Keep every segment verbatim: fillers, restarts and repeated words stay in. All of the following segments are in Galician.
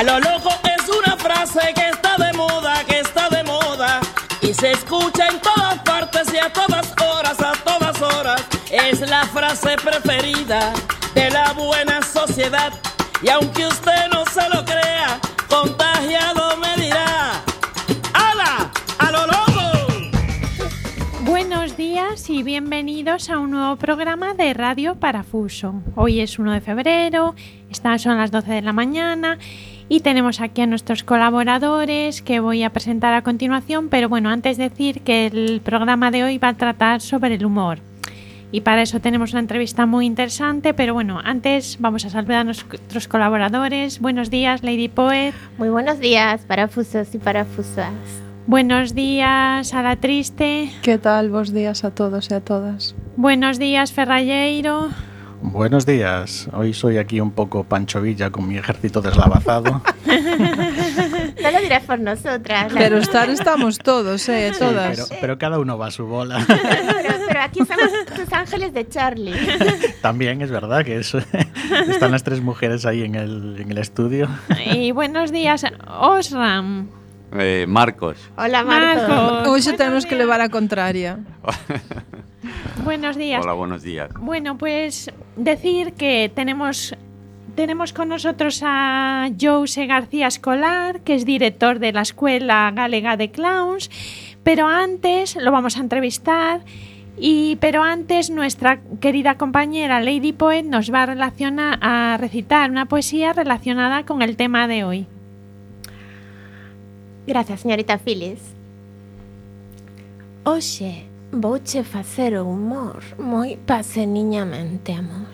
lo loco es una frase que está de moda, que está de moda y se escucha en todas partes y a todas horas, a todas horas. Es la frase preferida de la buena sociedad y aunque usted no se lo crea, contagiado me dirá: ¡hala! ¡A lo loco! Buenos días y bienvenidos a un nuevo programa de Radio Parafuso. Hoy es uno de febrero, estas son las doce de la mañana y tenemos aquí a nuestros colaboradores que voy a presentar a continuación, pero bueno, antes decir que el programa de hoy va a tratar sobre el humor. Y para eso tenemos una entrevista muy interesante, pero bueno, antes vamos a saludar a nuestros colaboradores. Buenos días, Lady Poet. Muy buenos días, parafusos y parafusas. Buenos días, a la Triste. ¿Qué tal? Buenos días a todos y a todas. Buenos días, Ferralleiro. Buenos días. Hoy soy aquí un poco Pancho Villa con mi ejército deslavazado. No lo dirás por nosotras. Pero estar estamos todos, ¿eh? Sí, todas. pero, pero cada uno va a su bola. Pero, pero aquí somos tus ángeles de Charlie. También es verdad que eso, están las tres mujeres ahí en el, en el estudio. Y buenos días, Osram. Eh, Marcos. Hola, Marcos. Marcos. Hoy se tenemos que llevar a contraria. Buenos días. Hola, buenos días. Bueno, pues decir que tenemos, tenemos con nosotros a Jose García Escolar, que es director de la Escuela Galega de Clowns, pero antes lo vamos a entrevistar, y, pero antes nuestra querida compañera Lady Poet nos va a, relacionar, a recitar una poesía relacionada con el tema de hoy. Gracias, señorita Phyllis. Oxe, vouche facer o humor moi paseniñamente, amor.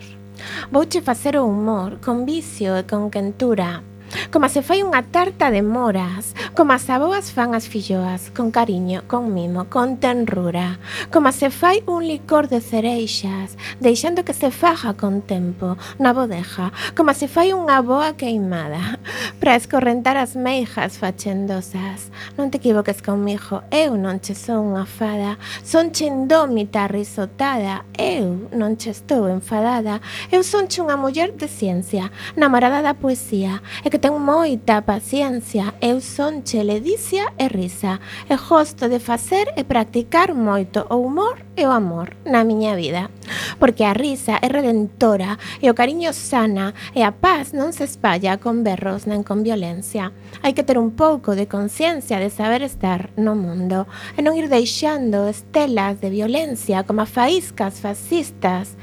Vouche facer o humor con vicio e con quentura, como se fai unha tarta de moras, como as aboas fan as filloas, con cariño, con mimo, con tenrura, como se fai un licor de cereixas, deixando que se faja con tempo na bodeja, como se fai unha boa queimada, para escorrentar as meijas fachendosas. Non te equivoques conmigo, eu non che sou unha fada, son che indómita risotada, eu non che estou enfadada, eu son che unha muller de ciencia, namorada da poesía, e que ten moita paciencia, eu son che ledicia e risa, e gosto de facer e practicar moito o humor e o amor na miña vida, porque a risa é redentora e o cariño sana e a paz non se espalla con berros nen con violencia. Hai que ter un pouco de conciencia de saber estar no mundo e non ir deixando estelas de violencia como a faíscas fascistas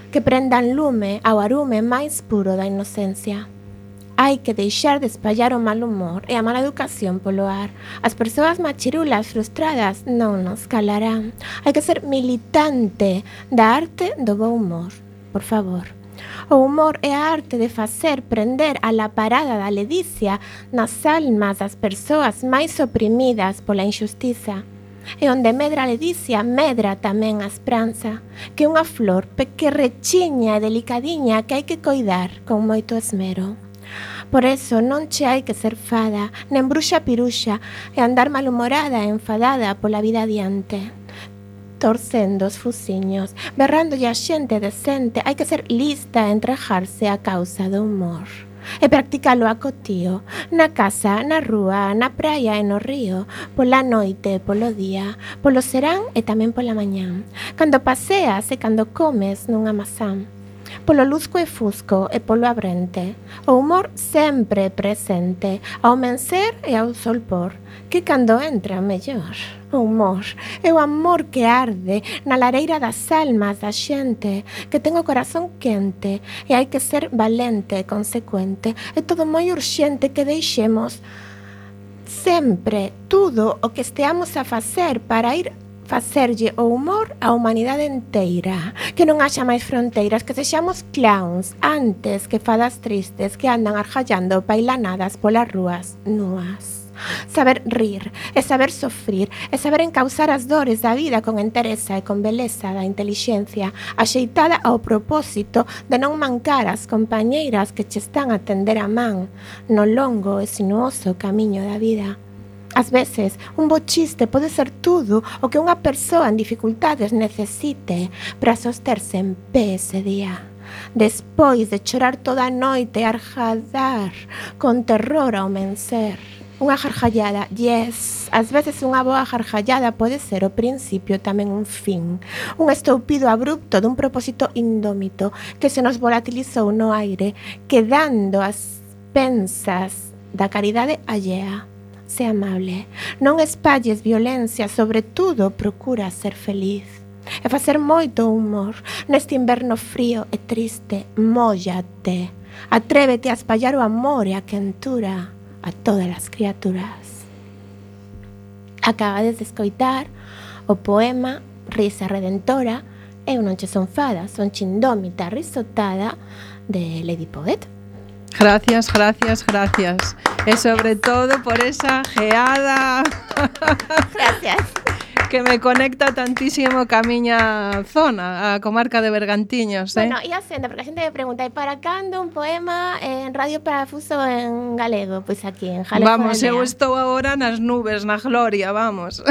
que prendan lume ao arume máis puro da inocencia. Hai que deixar de espallar o mal humor e a mala educación polo ar. As persoas machirulas frustradas non nos calarán. Hai que ser militante da arte do bo humor, por favor. O humor é a arte de facer prender a la parada da ledicia nas almas das persoas máis oprimidas pola injustiza. E onde medra a ledicia, medra tamén a esperanza, que é unha flor pequerrechiña e delicadiña que hai que coidar con moito esmero. Por eso non che hai que ser fada, nen bruxa piruxa, e andar malhumorada e enfadada pola vida adiante. Torcendo os fusiños, berrándolle a xente decente, hai que ser lista e entregarse á causa do humor. E practicalo a cotío, na casa, na rúa, na praia e no río, pola noite, polo día, polo serán e tamén pola mañán, cando paseas e cando comes nunha mazán. Polo luzco e fusco e polo abrente, o humor sempre presente, ao mencer e ao solpor, que cando entra mellor. O humor é o amor que arde na lareira das almas da xente, que ten o corazón quente, e hai que ser valente e consecuente, é todo moi urxente que deixemos sempre tudo o que esteamos a facer para ir facerlle o humor á humanidade inteira, que non haxa máis fronteiras, que sexamos clowns antes que fadas tristes que andan argallando pailanadas polas rúas nuas. Saber rir, e saber sofrir, e saber encauzar as dores da vida con entereza e con beleza da intelixencia, axeitada ao propósito de non mancar as compañeiras que che están a tender a man no longo e sinuoso camiño da vida. Ás veces, un bo chiste pode ser tudo o que unha persoa en dificultades necesite para sosterse en pé ese día. despois de chorar toda a noite e arjadar con terror ao mencer. Unha jarjallada, yes, ás veces unha boa jarjallada pode ser o principio tamén un fin, un estoupido abrupto dun propósito indómito que se nos volatilizou no aire, quedando as pensas da caridade allea. Sé amable, non espalles violencia, sobre tudo procura ser feliz. E facer moito humor neste inverno frío e triste, móllate, atrévete a espallar o amor e a quentura a todas as criaturas. Acabades de escoitar o poema Risa Redentora. Eu non che son fada, son chindómita risotada de Lady Poet. Gracias, gracias, gracias. E sobre todo por esa geada. Gracias. Que me conecta tantísimo ca miña zona, a comarca de Bergantiños, eh? Bueno, e a senda, porque a xente me pregunta, e para cando un poema en Radio Parafuso en galego? Pois aquí, en Jale. Vamos, eu estou agora nas nubes, na gloria, vamos.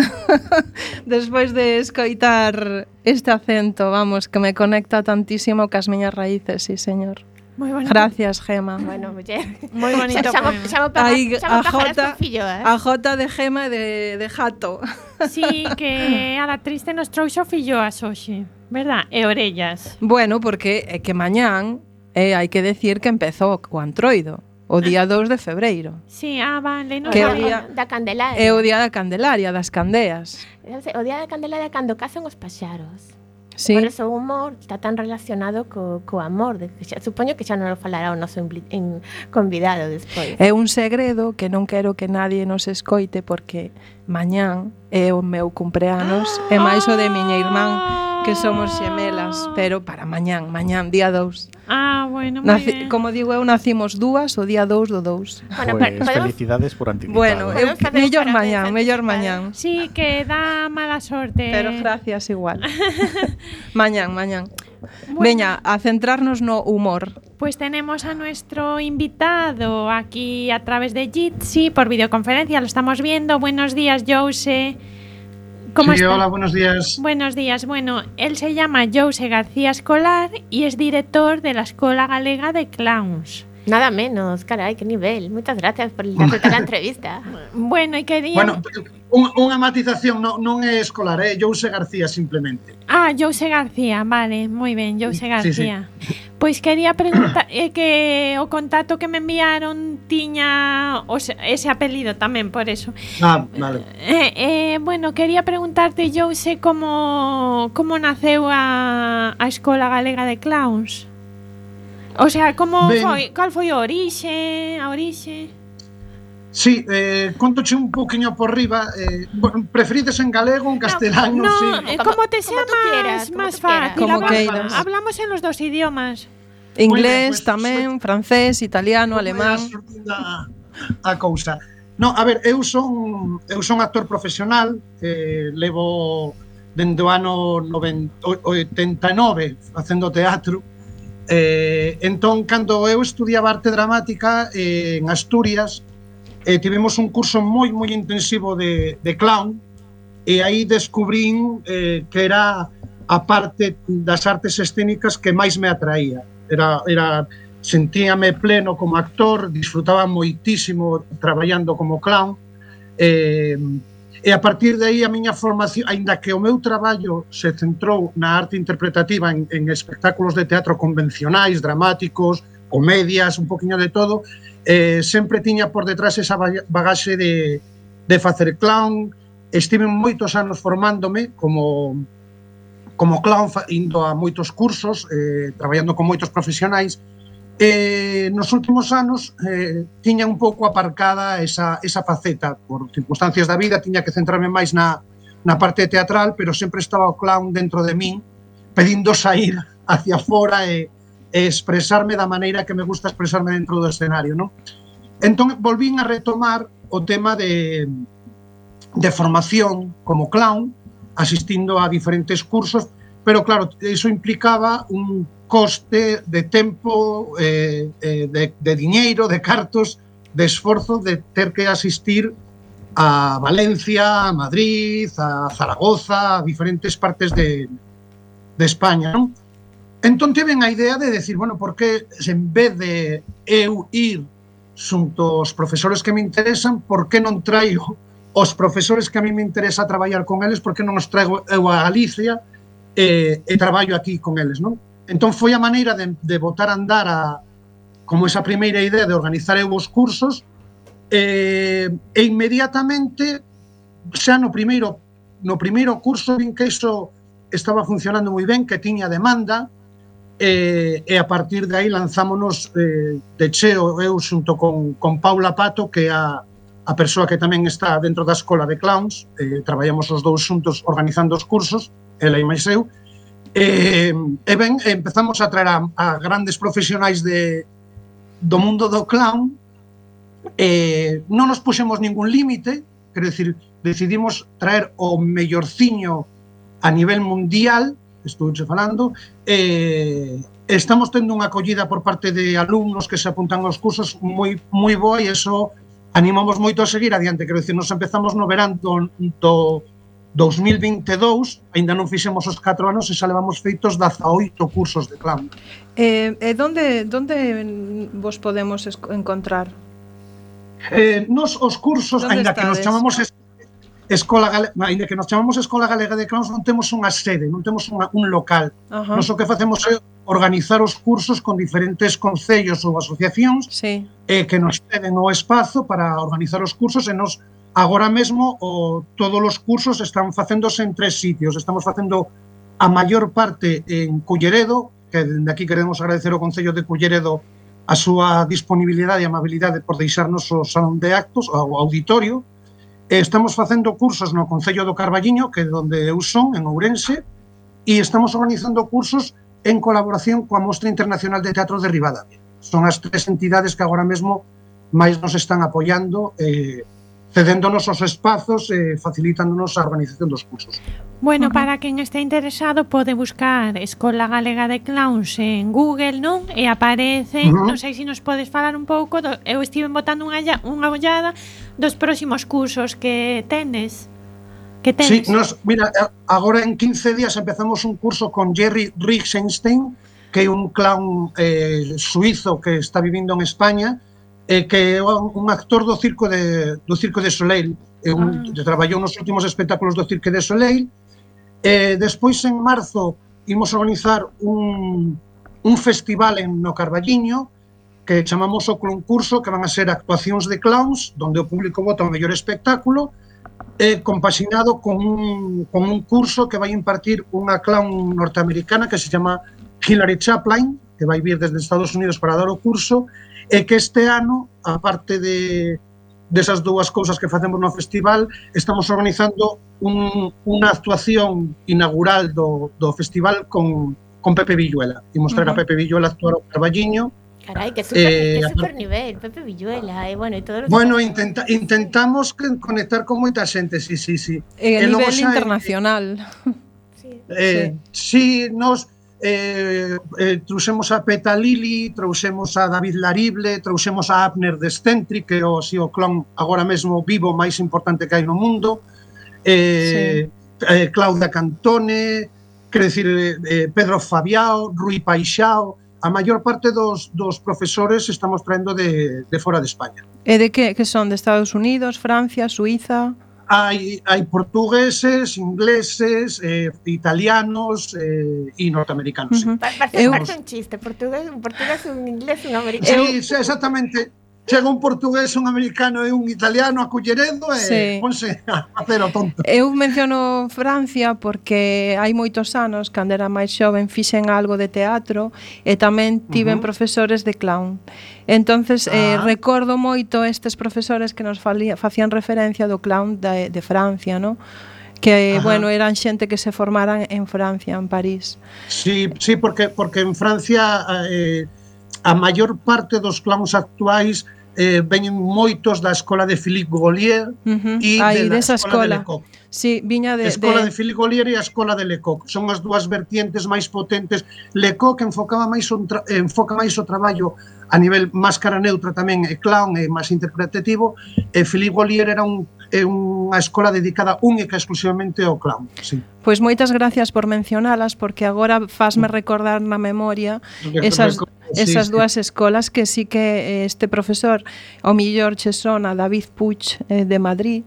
Despois de escoitar este acento, vamos, que me conecta tantísimo cas miñas raíces, sí, señor. Moi bonito. Gracias, Gema. Bueno, muller. Moi bonito Chamo, poema. chamo para, Aí, chamo a pájaras Jota, con fillo, eh? a Jota de Gema e de, de Jato. Sí, que a la triste nos trouxo filloas hoxe, verdad? E orellas. Bueno, porque é que mañán eh, hai que decir que empezou co Antroido, o día dous de febreiro. Sí, ah, vale. No Que o o día- día da Candelaria. É o día da Candelaria, das candeas. O día da Candelaria cando cazan os paxaros. Sí. Por eso o humor está tan relacionado co, co amor. De, que xa, supoño que xa non lo falará o noso impli, in, convidado despois. É un segredo que non quero que nadie nos escoite porque mañán é o meu cumpleanos e máis o de miña irmán, que somos xemelas, pero para mañán, mañán, día dous. Ah, bueno, moi Naci, ben. como digo eu, nacimos dúas o día dous do dous. Bueno, Pues pero podemos- felicidades por anticipado. Bueno, eu, Podemos facer mellor un mañán, parabéns mellor anticipado. mañán. Sí, que dá mala sorte. Pero gracias igual. Mañán, mañán. Bueno. Veña, a centrarnos no humor. Pues tenemos a nuestro invitado aquí a través de Jitsi por videoconferencia, lo estamos viendo. Buenos días, Jose. ¿Cómo Sí, está? hola, buenos días. Buenos días. Bueno, él se llama Jose García Escolar y es director de la Escola Galega de Clowns. Nada menos, carai, que nivel. Muchas gracias por aceptar la entrevista. Bueno, y quería... Bueno, un, unha matización, non, non é escolar, é Jose García simplemente. Ah, Jose García, vale, muy bien, Jose Sí, García. Pois quería preguntar eh, que o contacto que me enviaron tiña os, ese apelido tamén, por eso. Ah, vale. Eh, eh, bueno, quería preguntarte, Jose, como como naceu a, a Escola Galega de Clowns? O sea, como Ben. foi, cal foi a orixe, a orixe? Sí, eh, contoche un poquinho por riba. Eh, bueno, preferides en galego, en castelano? No, Sí. eh, Como- como te como sea tú más, quieras, como más tú quieras. fácil. Como Hablamos- queiras. Hablamos en los dos idiomas. Inglés pues, tamén, francés, italiano, alemán. A, a cousa. No, a ver, eu son eu son actor profesional, eh, levo dende o ano noventa, oitenta e nove facendo teatro. Eh, entón, cando eu estudiaba arte dramática eh, en Asturias, eh, tivemos un curso moi moi intensivo de, de clown, e aí descubrín eh, que era a parte das artes escénicas que máis me atraía. Era, era sentíame pleno como actor, disfrutaba moitísimo traballando como clown, eh, e a partir de aí a miña formación, aínda que o meu traballo se centrou na arte interpretativa en, en espectáculos de teatro convencionais, dramáticos, comedias, un poquinho de todo, eh, sempre tiña por detrás esa bagaxe de, de facer clown. Estive moitos anos formándome como, como clown, indo a moitos cursos, eh, traballando con moitos profesionais. Eh, nos últimos anos eh, tiña un pouco aparcada esa, esa faceta por circunstancias da vida, tiña que centrarme máis na, na parte teatral, pero sempre estaba o clown dentro de min pedindo sair hacia fora e, e expresarme da maneira que me gusta expresarme dentro do escenario, non? Entón volvín a retomar o tema de, de formación como clown, asistindo a diferentes cursos, pero claro, iso implicaba un coste de tempo, eh, eh, de, de diñeiro, de cartos, de esforzo de ter que asistir a Valencia, a Madrid, a Zaragoza, a diferentes partes de, de España, non? entón tiven a idea de decir, bueno, por que en vez de eu ir xunto aos profesores que me interesan, por que non traigo os profesores que a mí me interesa traballar con eles, por que non os traigo eu a Galicia e, e traballo aquí con eles, non? Entón foi a maneira de, de botar a andar a, como esa primeira idea de organizar eu os cursos e, e inmediatamente xa no primeiro no primeiro curso vin que iso estaba funcionando moi ben, que tiña demanda. E, e a partir de aí lanzámonos eh, de cheo eu xunto con, con Paula Pato, que é a, a persoa que tamén está dentro da escola de clowns, eh, traballamos os dous xuntos organizando os cursos, ela e máis eu, e, e ben, empezamos a traer a, a grandes profesionais de, do mundo do clown, e non nos puxemos ningún límite, quero dicir, decidimos traer o mellorciño a nivel mundial, estou che falando, e estamos tendo unha acollida por parte de alumnos que se apuntan aos cursos moi moi boa e eso animamos moito a seguir adiante. Quero dicir, nos empezamos no verán do, do dos mil vinte e dous, aínda non fixemos os catro anos e xa levamos feitos dezaoito cursos de clown. E eh, donde, donde vos podemos encontrar? Eh, nos os cursos, aínda que nos chamamos Escola Galega, ainda que nos chamamos Escola Galega de Clowns, non temos unha sede, non temos unha, un local. Uh-huh. Nos o que facemos é organizar os cursos con diferentes concellos ou asociacións sí. eh, que nos ceden o espazo para organizar os cursos e nos, agora mesmo, o, todos os cursos están facéndose en tres sitios. Estamos facendo a maior parte en Culleredo, que dende aquí queremos agradecer ao Concello de Culleredo a súa disponibilidade e amabilidade por deixarnos o salón de actos, o auditorio. Estamos facendo cursos no Concello do Carballiño, que é onde eu son, en Ourense, e estamos organizando cursos en colaboración coa Mostra Internacional de Teatro de Ribadavia. Son as tres entidades que agora mesmo máis nos están apoiando, eh, cedéndonos os espazos e eh, facilitándonos a organización dos cursos. Bueno, uh-huh. para quen este interesado pode buscar Escola Galega de Clowns en Google, non? E aparece, uh-huh. non sei se nos podes falar un pouco, do, eu estive botando unha, unha ollada dos próximos cursos que tenes. Que tenes? Sí, nos, mira, agora en quince días empezamos un curso con Jerry Rixenstein, que é un clown eh, suizo que está vivindo en España, eh, que é un actor do circo de, do Cirque du Soleil, eh, un, ah. traballou nos últimos espectáculos do Cirque du Soleil. Eh, despois, en marzo, imos organizar un, un festival en no Carballiño, que chamamos o concurso, que van a ser actuacións de clowns, donde o público vota o mellor espectáculo, eh, compaxinado con un, con un curso que vai impartir unha clown norteamericana que se chama Hilary Chaplin, que vai vir desde Estados Unidos para dar o curso, e que este ano, aparte de desas dúas cousas que facemos no festival, estamos organizando un, unha actuación inaugural do, do festival con, con Pepe Villuela. E mostrar uh-huh. a Pepe Villuela actuar ao Carballiño. Carai, que super, eh, que super nivel, Pepe Villuela, eh, bueno, e todos os Bueno, intenta, intentamos conectar con moita xente, sí, sí, sí. E a nivel xa, internacional. Eh, eh, sí. sí, nos eh, eh, trouxemos a Peta Lili, trouxemos a David Larible, trouxemos a Abner de Scentri, que é o, si, o clon agora mesmo vivo máis importante que hai no mundo, eh, sí. eh, Claudia Cantone, quer decir, eh, Pedro Fabiao, Rui Paixao, a maior parte dos, dos profesores estamos traendo de, de fora de España. E de que, que son? De Estados Unidos, Francia, Suiza? Hai, hai portugueses, ingleses, eh, italianos eh, e norteamericanos. Uh-huh. Parece eu... un chiste, portugués, un portugués, un inglés, un americano. Sí, sí, exactamente. Chega un portugués, un americano e un italiano a Culleredo e sí. ponse a facer o tonto. Eu menciono Francia porque hai moitos anos, cando era máis xoven, fixen algo de teatro e tamén tiven uh-huh. profesores de clown. Entonces, ah. eh, recordo moito estes profesores que nos falía, facían referencia do clown de, de Francia, ¿no? Que, Ajá. bueno, eran xente que se formaran en Francia, en París. Sí, sí, porque, porque en Francia eh, a maior parte dos clowns actuais eh, veñen moitos da escola de Philippe Gaulier uh-huh. e Ay, de esa escola. De Lecoq. Sí, viña de... A escola de, de Philippe Gaulier e a escola de Lecoq. Son as dúas vertientes máis potentes. Lecoq enfocaba máis un tra... enfoca máis o traballo a nivel máscara neutra tamén, e clown e máis interpretativo, e Philippe Gaulier era un é unha escola dedicada única e exclusivamente ao clown, sí. Pois moitas gracias por mencionalas, porque agora fasme recordar na memoria esas, esas sí, dúas sí. escolas que sí que este profesor, ao millor che sona, David Puig, eh, de Madrid,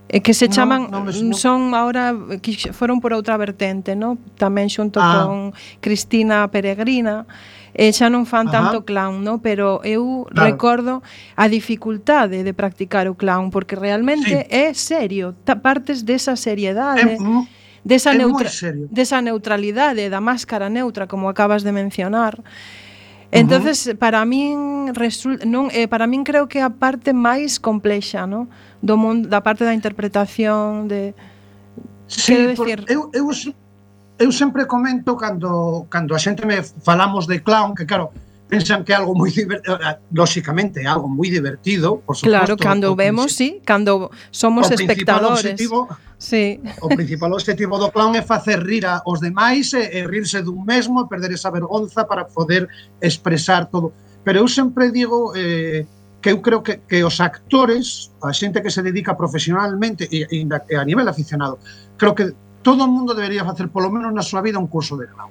eh, que se chaman, no, no me, no. son ahora, que foron por outra vertente, no? Tamén xunto ah. con Cristina Peregrina, e xa non fan Ajá. tanto clown, no? Pero eu claro. recordo a dificultade de practicar o clown, porque realmente sí. é serio, partes desa seriedade, é, desa, neutra desa neutralidade, da máscara neutra, como acabas de mencionar. Entonces, uh-huh. para min resul non eh, para min creo que é a parte máis complexa, no? Do mundo, da parte da interpretación de sí, decir, eu eu Eu sempre comento cando cando a xente me falamos de clown, que claro, pensan que é algo moi divertido, lóxicamente é algo moi divertido, por suposto. Claro, cando vemos, sí, cando somos espectadores. Objetivo, sí. O principal objetivo do clown é facer rir aos demais e, e rirse dun mesmo, e perder esa vergonza para poder expresar todo. Pero eu sempre digo eh, que eu creo que, que os actores, a xente que se dedica profesionalmente e, e a nivel aficionado, creo que todo o mundo debería facer polo menos na súa vida un curso de clown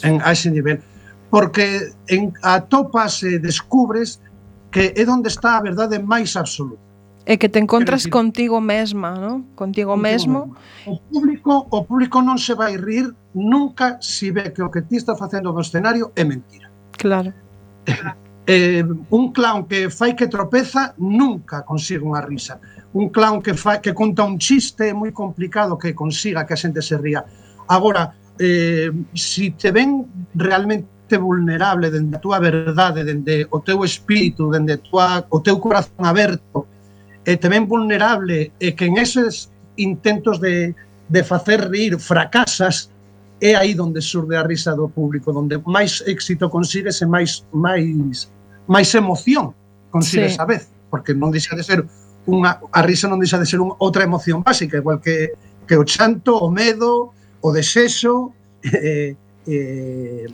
en, a ese nivel, porque en, atopas e descubres que é onde está a verdade máis absoluta. E que te encontras decir, contigo mesma, ¿no? Contigo, contigo mesmo. O público, o público non se vai rir nunca se ve que o que ti está facendo no escenario é mentira. Claro. Eh, un clown que fai que tropeza nunca consigue unha risa. Un clown que, fa, que conta un chiste é moi complicado que consiga que a xente se ría. Agora, eh, si te ven realmente vulnerable dende a túa verdade, dende o teu espírito, dende tua, o teu corazón aberto, e te ven vulnerable e que en eses intentos de, de facer rir fracasas, é aí onde surde a risa do público, onde máis éxito consigues e máis, máis, máis emoción consigues sí. a vez, porque non deixa de ser unha, a risa non deixa de ser unha, outra emoción básica, igual que, que o chanto, o medo, o desexo, eh, eh,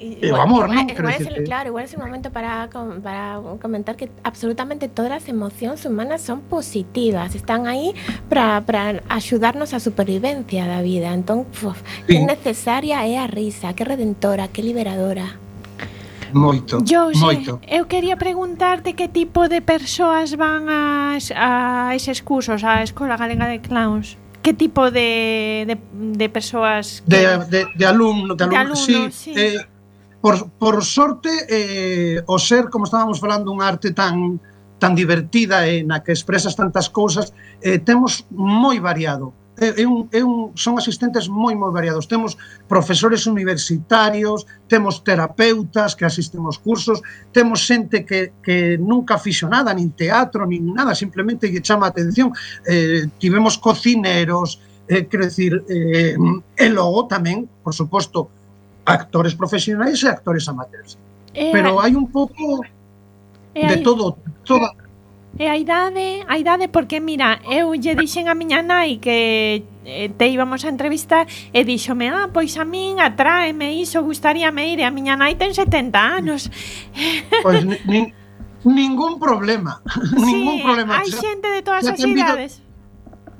e o amor, igual, ¿no? Igual es el, claro, igual es el momento para, para comentar que absolutamente todas las emociones humanas son positivas, están ahí para, para ayudarnos a supervivencia da vida. Entón, uf, sí. que necesaria é a risa, que redentora, que liberadora. Moito, yo, moito. Eu quería preguntarte que tipo de persoas van a, a eses cursos, a Escola Galega de Clowns. Que tipo de, de, de persoas? Que... De, de, de alumnos, de alumnos, de alumnos sí. sí. Eh, por, por sorte, eh, o ser, como estábamos falando, unha arte tan, tan divertida e na que expresas tantas cousas, eh, temos moi variado. É, é un, é un, son asistentes moi, moi variados. Temos profesores universitarios, temos terapeutas que asisten aos cursos, temos xente que, que nunca fixo nada, nin teatro, nin nada, simplemente lle chama a atención. Eh, tivemos cocineros, eh, quero dicir, eh, e logo tamén, por suposto, actores profesionais e actores amateurs. E pero hai un pouco de hai... todo, toda... E a idade, a idade, porque mira, eu lle dixen a miña nai que te íbamos a entrevistar e díxome, ah, pois a min atráeme iso, gustaríame ir, e a miña nai ten setenta anos. Pois nin, ningún problema, sí, ningún problema. Hai xente de todas as idades.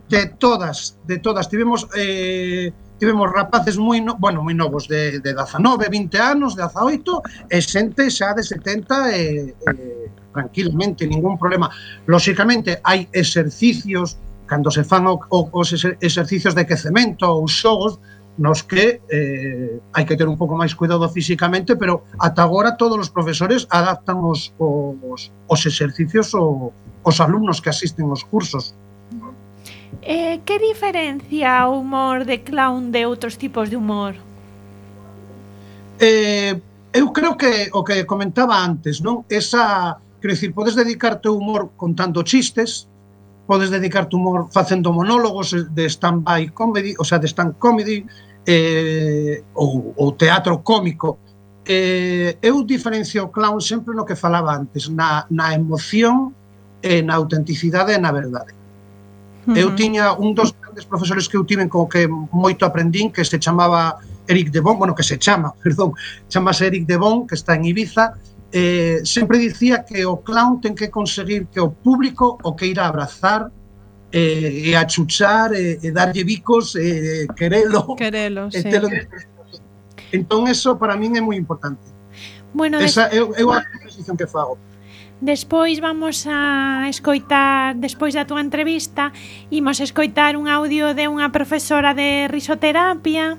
De todas, de todas. Tivemos... Eh, tivemos rapaces moi, no, bueno, moi novos de, de dezanove, vinte anos, dezaoito, e xente xa de setenta e, e tranquilamente, ningún problema. Lóxicamente, hai exercicios, cando se fan o, o, os exercicios de quecemento ou xogos, nos que eh, hai que ter un pouco máis cuidado físicamente, pero ata agora todos os profesores adaptan os, os, os exercicios o, os alumnos que asisten aos cursos. Eh, que diferencia o humor de clown de outros tipos de humor? Eh, eu creo que o que comentaba antes, non? Esa, quero dicir, podes dedicarte ao humor contando chistes, podes dedicarte ao humor facendo monólogos de stand-by comedy, o sea, de stand comedy, eh, ou, ou teatro cómico. Eh, eu diferencio o clown sempre no que falaba antes, na, na emoción e na autenticidade e na verdade. Uh-huh. Eu tiña un dos grandes profesores que eu tiven co que moito aprendín, que se chamaba Eric de Bon, bueno, que se chama, perdón, chamase Eric de Bon, que está en Ibiza, eh, sempre dicía que o clown ten que conseguir que o público o que irá abrazar e, e achuchar e, e darlle bicos e querelo, Querelo, e sí. telo. Entón eso para min é moi importante. Bueno, Esa é, é a posición que fago. despois vamos a escoitar, despois da túa entrevista, imos escoitar un audio de unha profesora de risoterapia.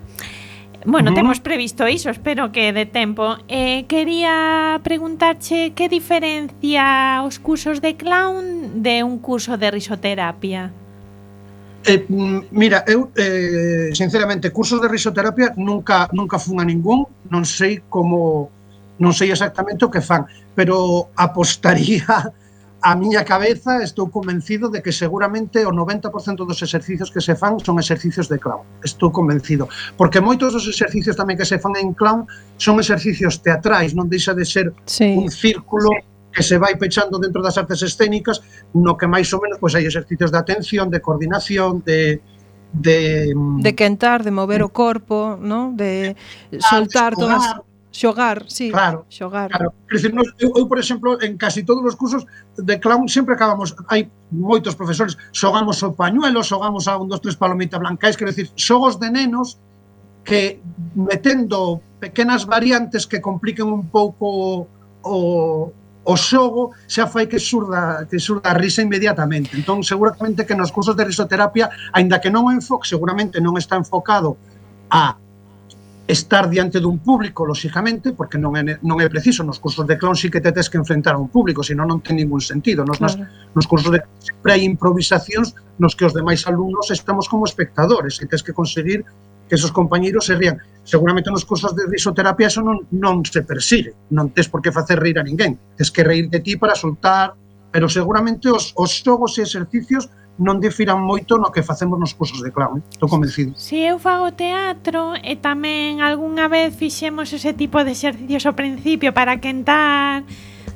Bueno, uh -huh. temos previsto iso, espero que de tempo. Eh, quería preguntarche que diferencia os cursos de clown de un curso de risoterapia. Eh, mira, eu eh, sinceramente cursos de risoterapia nunca nunca fun a ningún, non sei como non sei exactamente o que fan, pero apostaría a miña cabeza, estou convencido de que seguramente o noventa por cento dos exercicios que se fan son exercicios de clown. Estou convencido, porque moitos dos exercicios tamén que se fan en clown son exercicios teatrais, non deixa de ser sí. un círculo que se vai pechando dentro das artes escénicas, no que máis ou menos pois hai exercicios de atención, de coordinación, de de de quentar, de mover o corpo, ¿no? De soltar todas, xogar, sí, claro, xogar. Claro. Decir, nos, eu, eu, por exemplo, en casi todos os cursos de clown sempre acabamos, hai moitos profesores, xogamos o pañuelo, xogamos a un, dos, tres palomita blancais, quero decir, xogos de nenos que metendo pequenas variantes que compliquen un pouco o o xogo xa fai que surda que surda a risa inmediatamente. Entón, seguramente que nos cursos de risoterapia, aínda que non o enfoque, seguramente non está enfocado a estar diante dun público, lóxicamente, porque non é, non é preciso. Nos cursos de clown sí que te tes que enfrentar a un público, senón non ten ningún sentido. Nos, claro. nos, nos cursos de clown sempre hai improvisacións nos que os demais alumnos estamos como espectadores e tes que conseguir que esos compañeiros se rían. Seguramente nos cursos de risoterapia eso non, non se persigue, non tes por que facer reír a ninguén, tes que reír de ti para soltar, pero seguramente os, os xogos e exercicios non difiran moito no que facemos nos cursos de clown, eh? Estou convencido. Si eu fago teatro e tamén algunha vez fixemos ese tipo de exercicios ao principio para quentar,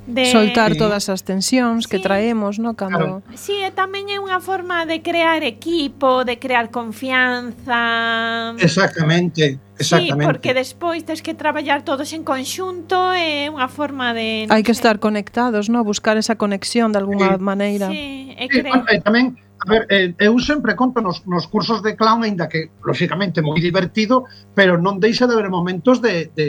de soltar sí. todas as tensións sí. que traemos, ¿no? Cando claro. Si, sí, tamén é unha forma de crear equipo, de crear confianza. Exactamente, exactamente. Sí, porque despois tens que traballar todos en conxunto, é unha forma de hai que sé. estar conectados, ¿no? Buscar esa conexión de alguna sí. maneira. Sí, e sí, cre... e tamén, a ver, eh, eu sempre conto nos, nos cursos de clown, aínda que, lóxicamente, moi divertido, pero non deixa de haber momentos de, de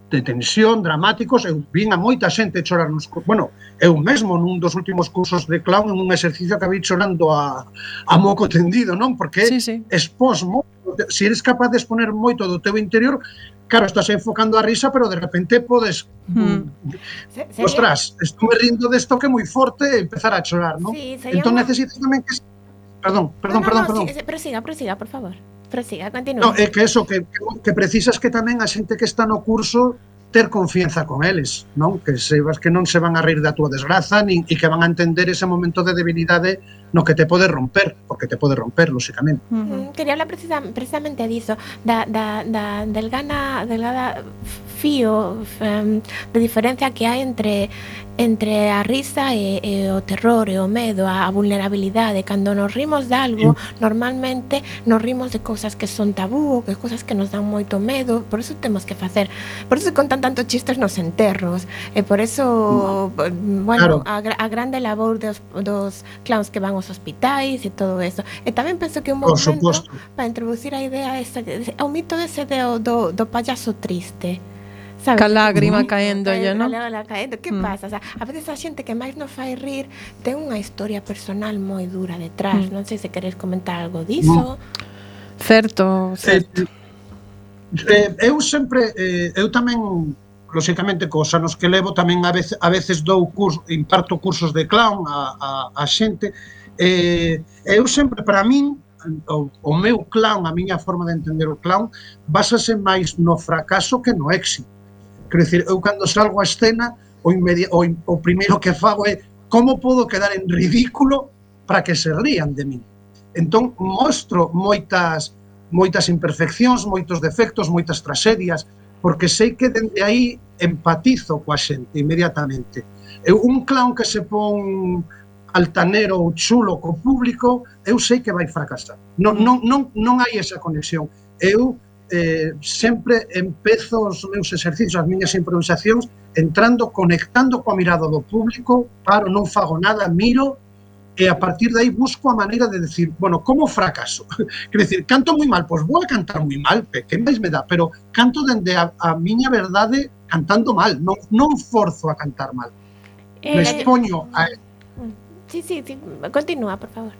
de tensión, dramáticos. Eu vin a moita xente chorar nos cursos. Bueno, eu mesmo nun dos últimos cursos de clown en un exercicio acabei chorando a, a moco tendido, non? Porque sí, sí. expós moito. Se eres capaz de exponer moito do teu interior, claro, estás enfocando a risa, pero de repente podes mm. ostras, estou rindo desto que é moi forte e empezar a chorar, non? Sí, entón un... necesitas tamén que Perdón, perdón, no, no, perdón, no, perdón. Sí, prosiga, prosiga, por favor. Prosiga, continúa. No, é que eso, que, que precisas que tamén a xente que está no curso ter confianza con eles, non? Que sebas que non se van a rir da túa desgraza nin, e que van a entender ese momento de debilidade no que te pode romper, porque te pode romper, lóxicamente. Uh -huh. Quería hablar precisa, precisamente diso, da, da, da delgana, delgada fío um, de diferencia que hai entre entre a risa e, e o terror e o medo, a, a vulnerabilidade. Cando nos rimos de algo, sí. normalmente nos rimos de cousas que son tabú, que cousas que nos dan moito medo, por eso temos que facer, por eso contan tantos chistes nos enterros, e por eso, no. bueno, claro. a, a grande labor dos, dos clowns que van aos hospitais e todo eso. E tamén penso que un bom momento para introducir a idea esa, o mito ese do, do, do payaso triste. ¿Sabes? Ca lágrima caendo, ¿no? Caendo. Que mm. pasa? O sea, a veces a xente que máis nos fai rir ten unha historia personal moi dura detrás. Mm. Non sei se queres comentar algo diso. Mm. Certo, certo. Eh, eh, eu sempre, eh, eu tamén, lóxicamente, cos anos que levo, tamén a veces, a veces dou curso, imparto cursos de clown a, a, a xente. Eh, eu sempre, para min, o, o meu clown, a miña forma de entender o clown, básase máis no fracaso que no éxito. Quero dicir, eu cando salgo a escena, o, o, o primeiro que fago é como podo quedar en ridículo para que se rían de mí. Entón, mostro moitas, moitas imperfeccións, moitos defectos, moitas tragedias, porque sei que dende aí empatizo coa xente inmediatamente. Eu, un clown que se pon altanero ou chulo co público, eu sei que vai fracasar. Non, non, non, non hai esa conexión. Eu eh, sempre empezo os meus exercicios, as miñas improvisacións, entrando, conectando coa mirada do público, paro, non fago nada, miro e a partir de aí busco a maneira de decir, bueno, como fracaso? Quer decir, canto moi mal, pois vou a cantar moi mal, que máis me dá, pero canto dende a, a miña verdade cantando mal, non, non forzo a cantar mal. Eh, me expoño a... Sí, sí, sí, continúa, por favor.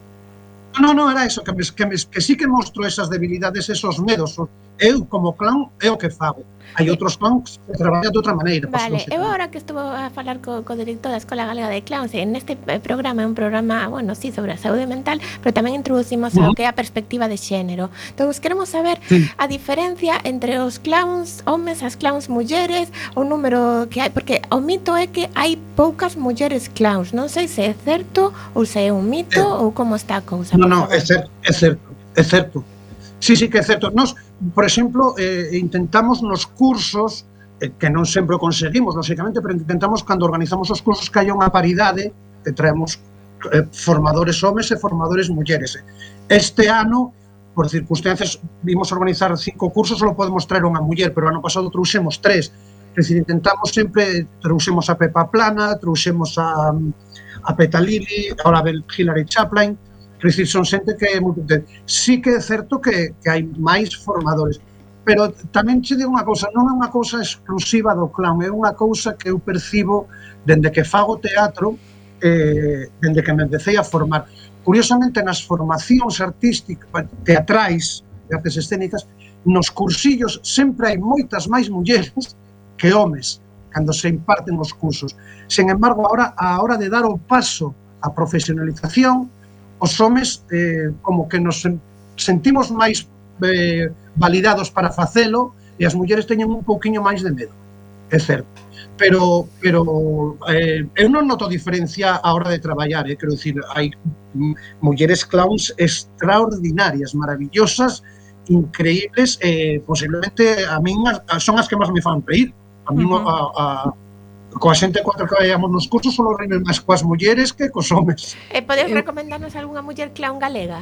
No, no, era eso, que, me, que, me, que sí que mostro esas debilidades, esos medos. Eu, como clown, é o que fago. Hai outros clowns que traballan de outra maneira. Vale, eu agora que estuvo a falar co, co director da Escola Galega de Clowns, en este programa, é un programa, bueno, sí, sobre a saúde mental, pero tamén introducimos uh-huh. o que é a perspectiva de xénero. Entón, queremos saber sí. a diferencia entre os clowns homes, as clowns mulleres, o número que hai, porque o mito é que hai poucas mulleres clowns. Non sei se é certo ou se é un mito eh, ou como está a cousa. Non, non, é certo, é certo, é certo. Sí, sí que é certo. Nos, por exemplo, eh, intentamos nos cursos, eh, que non sempre o conseguimos, lógicamente, pero intentamos, cando organizamos os cursos, que haya unha paridade, que traemos eh, formadores homes e formadores mulleres. Este ano, por circunstancias, vimos organizar cinco cursos, só podemos traer unha muller, pero ano pasado trouxemos tres. É dicir, intentamos sempre, trouxemos a Pepa Plana, trouxemos a, a Peta Lili, ahora a Hilary Chaplin. Quer dizer, son xente que é moi potente. Sí que é certo que, que hai máis formadores, pero tamén che digo unha cousa, non é unha cousa exclusiva do clown, é unha cousa que eu percibo dende que fago teatro, eh, dende que me empecé a formar. Curiosamente, nas formacións artísticas, teatrais, de artes escénicas, nos cursillos sempre hai moitas máis mulleres que homes, cando se imparten os cursos. Sen embargo, agora, a hora de dar o paso á profesionalización, os homes eh, como que nos sentimos máis eh, validados para facelo e as mulleres teñen un pouquiño máis de medo, é certo. Pero, pero eh, eu non noto diferencia a hora de traballar, eh, quero dicir, hai mulleres clowns extraordinarias, maravillosas, increíbles, eh, posiblemente a min son as que máis me fan reír. A min uh-huh. a, a coa xente cuatro que vayamos nos cursos solo reír máis coas mulleres que cos homes. E podes recomendarnos algunha muller clown galega?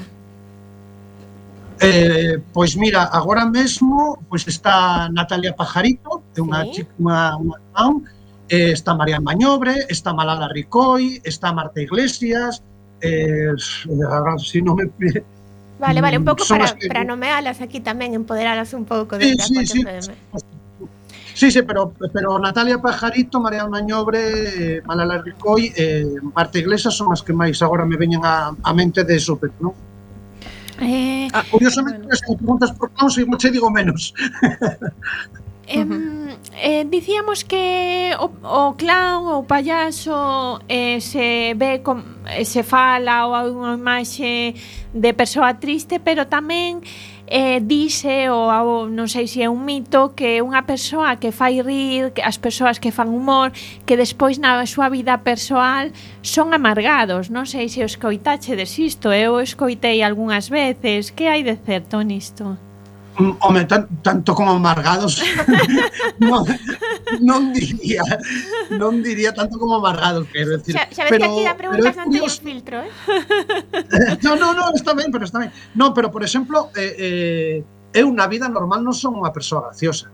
Eh, pois mira, agora mesmo pois está Natalia Pajarito, é unha sí. unha, unha clown, eh, está María Mañobre, está Malala Ricoy, está Marta Iglesias, eh, si non me... Vale, vale, un pouco para, que... para nomealas aquí tamén, empoderalas un pouco de sí, sí, sí. Sí, sí, pero, pero Natalia Pajarito, María Mañobre, eh, Malala Ricoy, eh, Marta Iglesias son as que máis agora me veñen a, a mente de súpeto, non? Eh, ah, curiosamente, bueno. Se me preguntas por clowns, igual che digo menos. Eh, uh-huh. eh, dicíamos que o, o clown ou payaso eh, se ve com, eh, se fala ou hai unha imaxe de persoa triste, pero tamén eh, dice ou, ou non sei se é un mito que unha persoa que fai rir, que as persoas que fan humor, que despois na súa vida persoal son amargados. Non sei se o escoitachedes isto, eu escoitei algunhas veces. Que hai de certo nisto? Home, tan, tanto como amargados non, non diría non diría tanto como amargados, quero decir. Xa, xa ves pero, que aquí a preguntas non teño filtro, eh? No, no, no, está ben, pero está ben. Non, pero por exemplo, eh, eh, eu na vida normal non son unha persoa graciosa.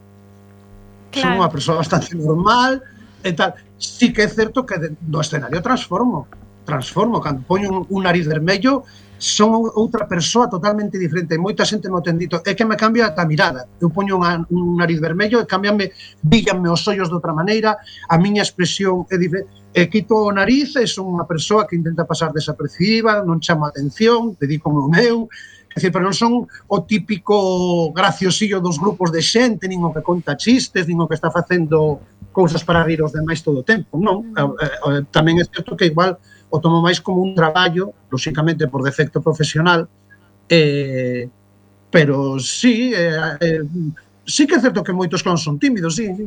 Claro. Son unha persoa bastante normal e tal. Sí que é certo que no escenario transformo, transformo, cando poño un, un nariz vermello, son outra persoa totalmente diferente. Moita xente me ten dito, é que me cambia a mirada. Eu poño unha, un nariz vermello e cambiame, bríllanme os ollos de outra maneira, a miña expresión é diferente. E quito o nariz e son unha persoa que intenta pasar desapercibiva, non chamo a atención, dedico o meu, é dicir, pero non son o típico graciosillo dos grupos de xente, nin o que conta chistes, nin o que está facendo cousas para rir os demais todo o tempo, non? Mm. Tamén é certo que igual o tomo máis como un traballo, lóxicamente por defecto profesional, eh, pero sí, eh, eh, sí que é certo que moitos clowns son tímidos, sí, sí.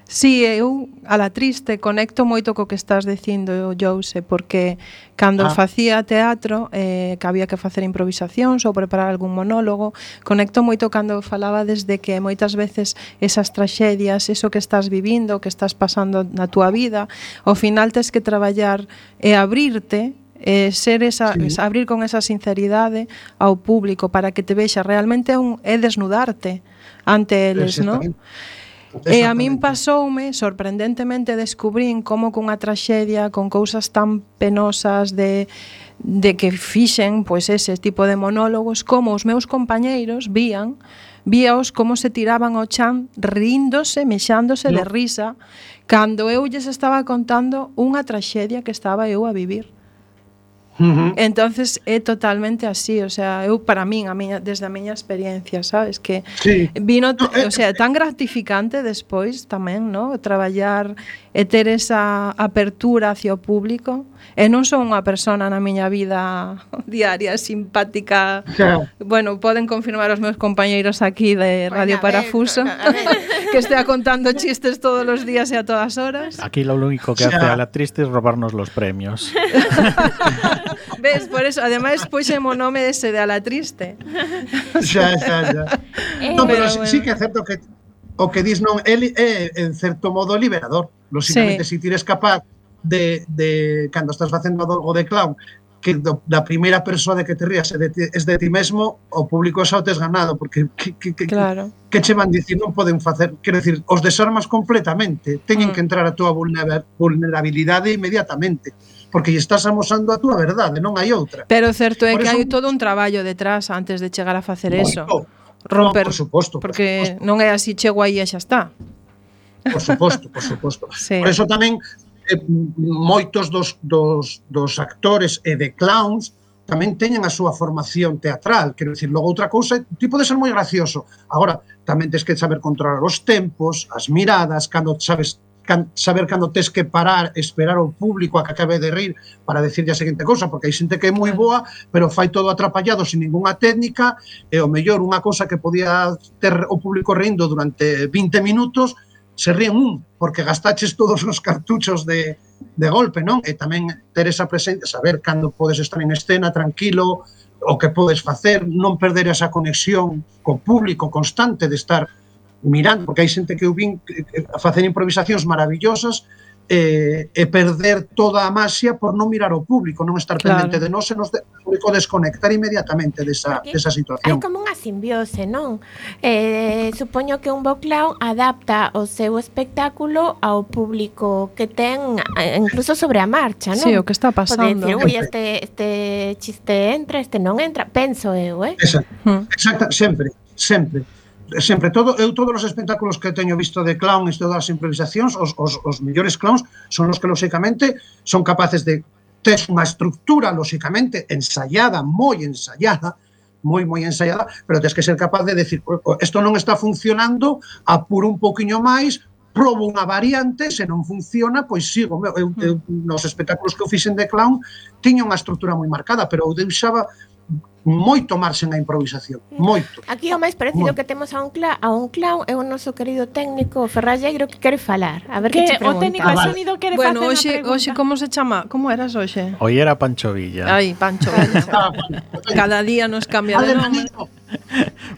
Sí, eu, a la triste, conecto moito co que estás dicindo, Jose, porque cando ah. facía teatro, eh, que había que facer improvisacións ou preparar algún monólogo, conecto moito cando falaba desde que moitas veces esas traxedias, eso que estás vivindo, que estás pasando na túa vida, ao final tes que traballar e abrirte, eh, ser esa, sí. abrir con esa sinceridade ao público para que te vexa realmente un, é desnudarte ante eles, non? E a min pasoume, sorprendentemente descubrín como cunha traxedia con cousas tan penosas de, de que fixen pois ese tipo de monólogos, como os meus compañeiros vían, víaos como se tiraban ao chan ríndose, mexándose no. de risa, cando eu lles estaba contando unha traxedia que estaba eu a vivir. Uh-huh. Entonces é totalmente así, o sea, eu para min, a miña, desde a miña experiencia, sabes, que sí. vino, no, eh, o sea, tan gratificante despois tamén, ¿no? Traballar e ter esa apertura hacia o público. E non son unha persona na miña vida diaria simpática. Claro. Bueno, poden confirmar os meus compañeiros aquí de Radio bueno, Parafuso que estea contando chistes todos os días e a todas horas. Aquí lo único que hace a la triste es robarnos los premios. Ves, por eso, ademais puxemos o nome ese de a la triste. Xa, xa, xa. No, pero, pero bueno. sí que é certo que o que dis non é, é en certo modo liberador. Lógicamente, sí. si tires capaz de, de cando estás facendo algo de clown, que do, da primeira persoa de que te rías é de, es de ti mesmo, o público xa o tes ganado, porque que, que, que, claro. que che van dicir, non poden facer, quero dicir, os desarmas completamente, teñen mm. que entrar a túa vulnerabilidade inmediatamente, porque lle estás amosando a túa verdade, non hai outra. Pero certo é que hai todo un traballo detrás antes de chegar a facer eso. Romper, no, por suposto, porque por suposto. Non é así, chego aí e xa está. Por suposto, por suposto. Sí. Por eso tamén eh, moitos dos, dos, dos actores e de clowns tamén teñen a súa formación teatral, quero dicir, logo outra cousa, ti pode ser moi gracioso, agora tamén tens que saber controlar os tempos, as miradas, cando sabes can, saber cando tes que parar, esperar ao público a que acabe de rir para decirlle a seguinte cousa, porque hai xente que é moi boa, pero fai todo atrapallado sin ninguna técnica, e o mellor unha cousa que podía ter o público rindo durante vinte minutos, se ríen un, porque gastaches todos os cartuchos de, de golpe, non? E tamén ter esa presencia, saber cando podes estar en escena tranquilo, o que podes facer, non perder esa conexión co público constante de estar mirando, porque hai xente que eu vin a facer improvisacións maravillosas e, e perder toda a maxia por non mirar ao público, non estar claro. pendente de nós e nos de, o público desconectar inmediatamente desa, desa situación. Hai como unha simbiose, non? Eh, supoño que un bo clown adapta o seu espectáculo ao público que ten, incluso sobre a marcha, non? Sí, o que está pasando. Pode dicir, ui, este, este chiste entra, este non entra, penso eu, eh? Exacto, hmm. exacto, sempre, sempre. Sempre, todo, eu todos os espectáculos que teño visto de clown e todas as improvisacións, os, os, os mellores clowns son os que, lóxicamente, son capaces de ter unha estructura, lóxicamente, ensaiada, moi ensaiada, moi, moi ensaiada, pero tens que ser capaz de decir, isto non está funcionando, apuro un poquinho máis, probo unha variante, se non funciona, pois sigo. Eu, eu, nos espectáculos que eu fixen de clown, tiña unha estructura moi marcada, pero eu deixaba moito marxen a improvisación, moito. Aquí o máis parecido moito. Que temos a un, cla a un clown é o noso querido técnico Ferralleiro que quere falar. A ver que, que o técnico de ah, sonido quere bueno, facer unha pregunta. Bueno, hoxe como se chama? Como eras hoxe? Hoy era Pancho Villa. Ai, Pancho Villa. Cada día nos cambia de nome.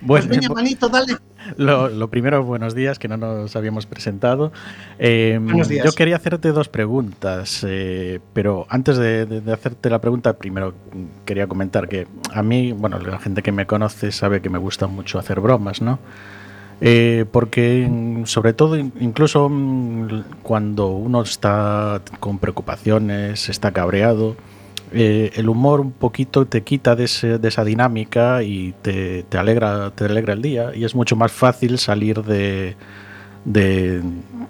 Bueno, pues veña, manito, dale. Lo, lo primero, buenos días, que no nos habíamos presentado. Eh, buenos días. Yo quería hacerte dos preguntas, eh, pero antes de, de, de hacerte la pregunta, primero quería comentar que a mí, bueno, la gente que me conoce sabe que me gusta mucho hacer bromas, ¿no? Eh, porque sobre todo, incluso cuando uno está con preocupaciones, está cabreado, Eh, el humor un poquito te quita de, ese, de esa dinámica y te, te, alegra, te alegra el día, y es mucho más fácil salir de de, de,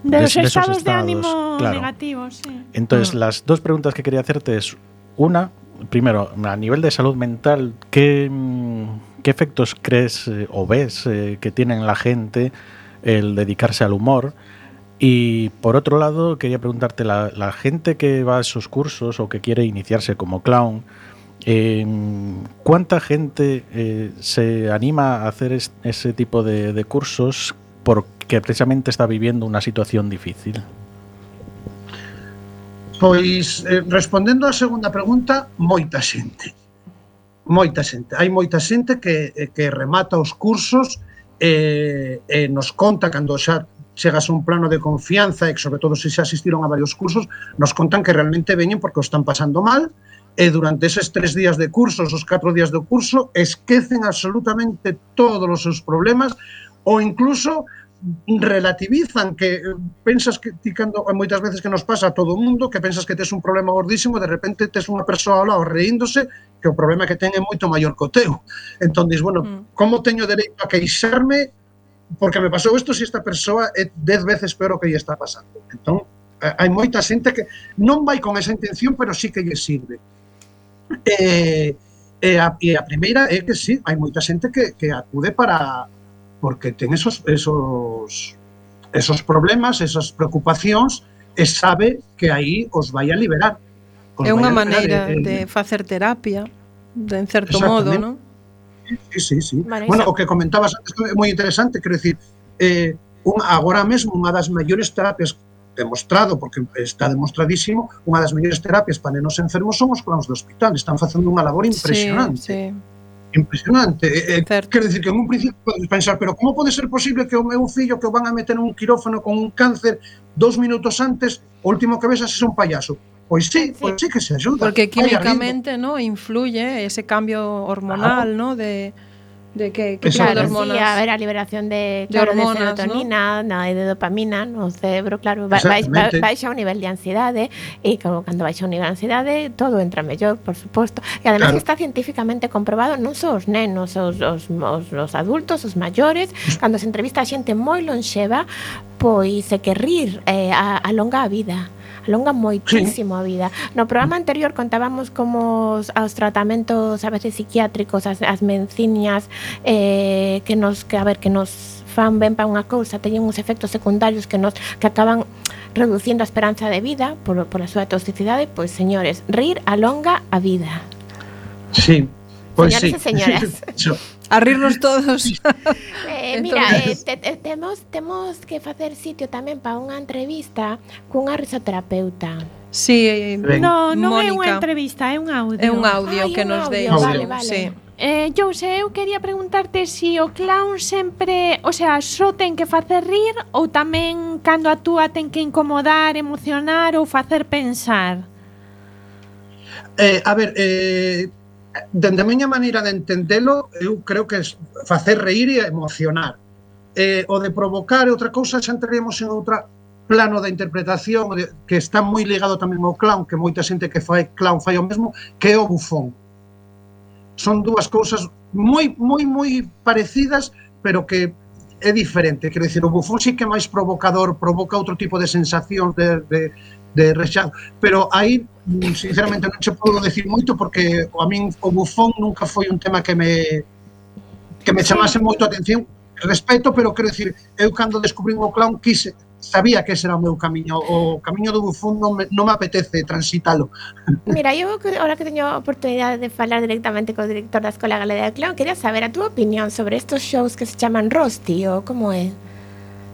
de los de estados, esos estados de ánimo claro. negativos. Sí. Entonces, mm. las dos preguntas que quería hacerte es, una, primero, a nivel de salud mental, ¿qué, qué efectos crees eh, o ves eh, que tiene en la gente el dedicarse al humor? Y por otro lado, quería preguntarte, la, la gente que va a esos cursos o que quiere iniciarse como clown, eh, ¿cuánta gente eh, se anima a hacer es, ese tipo de, de cursos porque precisamente está viviendo una situación difícil? Pois, eh, respondendo á segunda pregunta, moita xente. Moita xente. Hai moita xente que, que remata os cursos e, e nos conta cando xa chegas a un plano de confianza e, sobre todo, se xa asistiron a varios cursos, nos contan que realmente veñen porque o están pasando mal e durante eses tres días de cursos, os catro días do curso, esquecen absolutamente todos os seus problemas ou incluso relativizan, que pensas que ti cando moitas veces que nos pasa a todo o mundo, que pensas que tes un problema gordísimo, de repente tes unha persoa ao lado reíndose que o problema que ten é moito maior co teu. Entón, dis, bueno, mm. como teño dereito a queixarme porque me pasou isto se esta persoa é dez veces peor o que lle está pasando? Entón, hai moita xente que non vai con esa intención, pero sí que lle sirve. E, e, a, e a primeira é que sí, hai moita xente que, que acude para porque ten esos, esos, esos problemas, esas preocupacións, e sabe que aí os vai a liberar. É unha maneira de, de facer terapia, de, en certo modo, non? Sí, sí, sí. Bueno, o que comentabas antes é moi interesante, quero dicir, eh, un, agora mesmo unha das mellores terapias demostrado, porque está demostradísimo, unha das mellores terapias para nenos enfermos son os clowns do hospital, están facendo unha labor impresionante. Sí, sí. Impresionante. Eh, quero dicir que en un principio podes pensar, pero como pode ser posible que o meu fillo que o van a meter en un quirófano con un cáncer dous minutos antes, o último que ves é un payaso? Pois sí, sí, pois sí que se ajuda. Porque químicamente, no, influye ese cambio hormonal, claro, no, de de que, que claro, tipo de hormonas. Sí, a ver, a liberación de, claro, de, hormonas, de serotonina, ¿no? No, de dopamina no cerebro, claro, ba, ba, baixa o nivel de ansiedade e como cando baixa o nivel de ansiedade todo entra mellor, por suposto. E además claro, está científicamente comprobado non só os nenos, os, os, os, os adultos, os maiores, cando se entrevista a xente moi lonxeva, pois é que rir eh, alonga a vida. Alonga moitísimo sí. a vida. No programa anterior contábamos como os, os tratamentos a veces psiquiátricos, as, as medicinas eh, que nos que a ver que nos fan ben para unha cousa, teñen uns efectos secundarios que nos que acaban reducindo a esperanza de vida por, por a súa toxicidade. Pois, señores, rir alonga a vida. Sí. Pois señores sí. e señoras. A rirnos todos. eh, mira, eh, te, te, temos, temos que facer sitio tamén para unha entrevista cunha risoterapeuta. Sí, no, non Mónica. É unha entrevista, é un audio. É un audio Ay, que un nos audio, deu. vale, vale. Sí. Eh, Jose, eu quería preguntarte se si o clown sempre, o sea, só ten que facer rir ou tamén cando actúa ten que incomodar, emocionar ou facer pensar? Eh, a ver, eh, dende a miña maneira de entendelo, eu creo que é facer reír e emocionar. Eh, o de provocar é outra cousa, xa entraremos en outra plano da interpretación de, que está moi ligado tamén ao clown, que moita xente que fai clown fai o mesmo, que é o bufón. Son dúas cousas moi, moi, moi parecidas, pero que é diferente. Quero dicir, o bufón sí que é máis provocador, provoca outro tipo de sensacións de, de, de rexado, pero aí sinceramente non che podo decir moito porque a min o bufón nunca foi un tema que me que me chamase moito a atención, respeto, pero quero dicir, eu cando descubrín o clown quise, sabía que ese era o meu camiño, o camiño do bufón non me, non me apetece transitalo. Mira, eu ahora que teño a oportunidade de falar directamente co director da Escola Galega de Clown, quería saber a túa opinión sobre estos shows que se chaman Rosti, ou como é?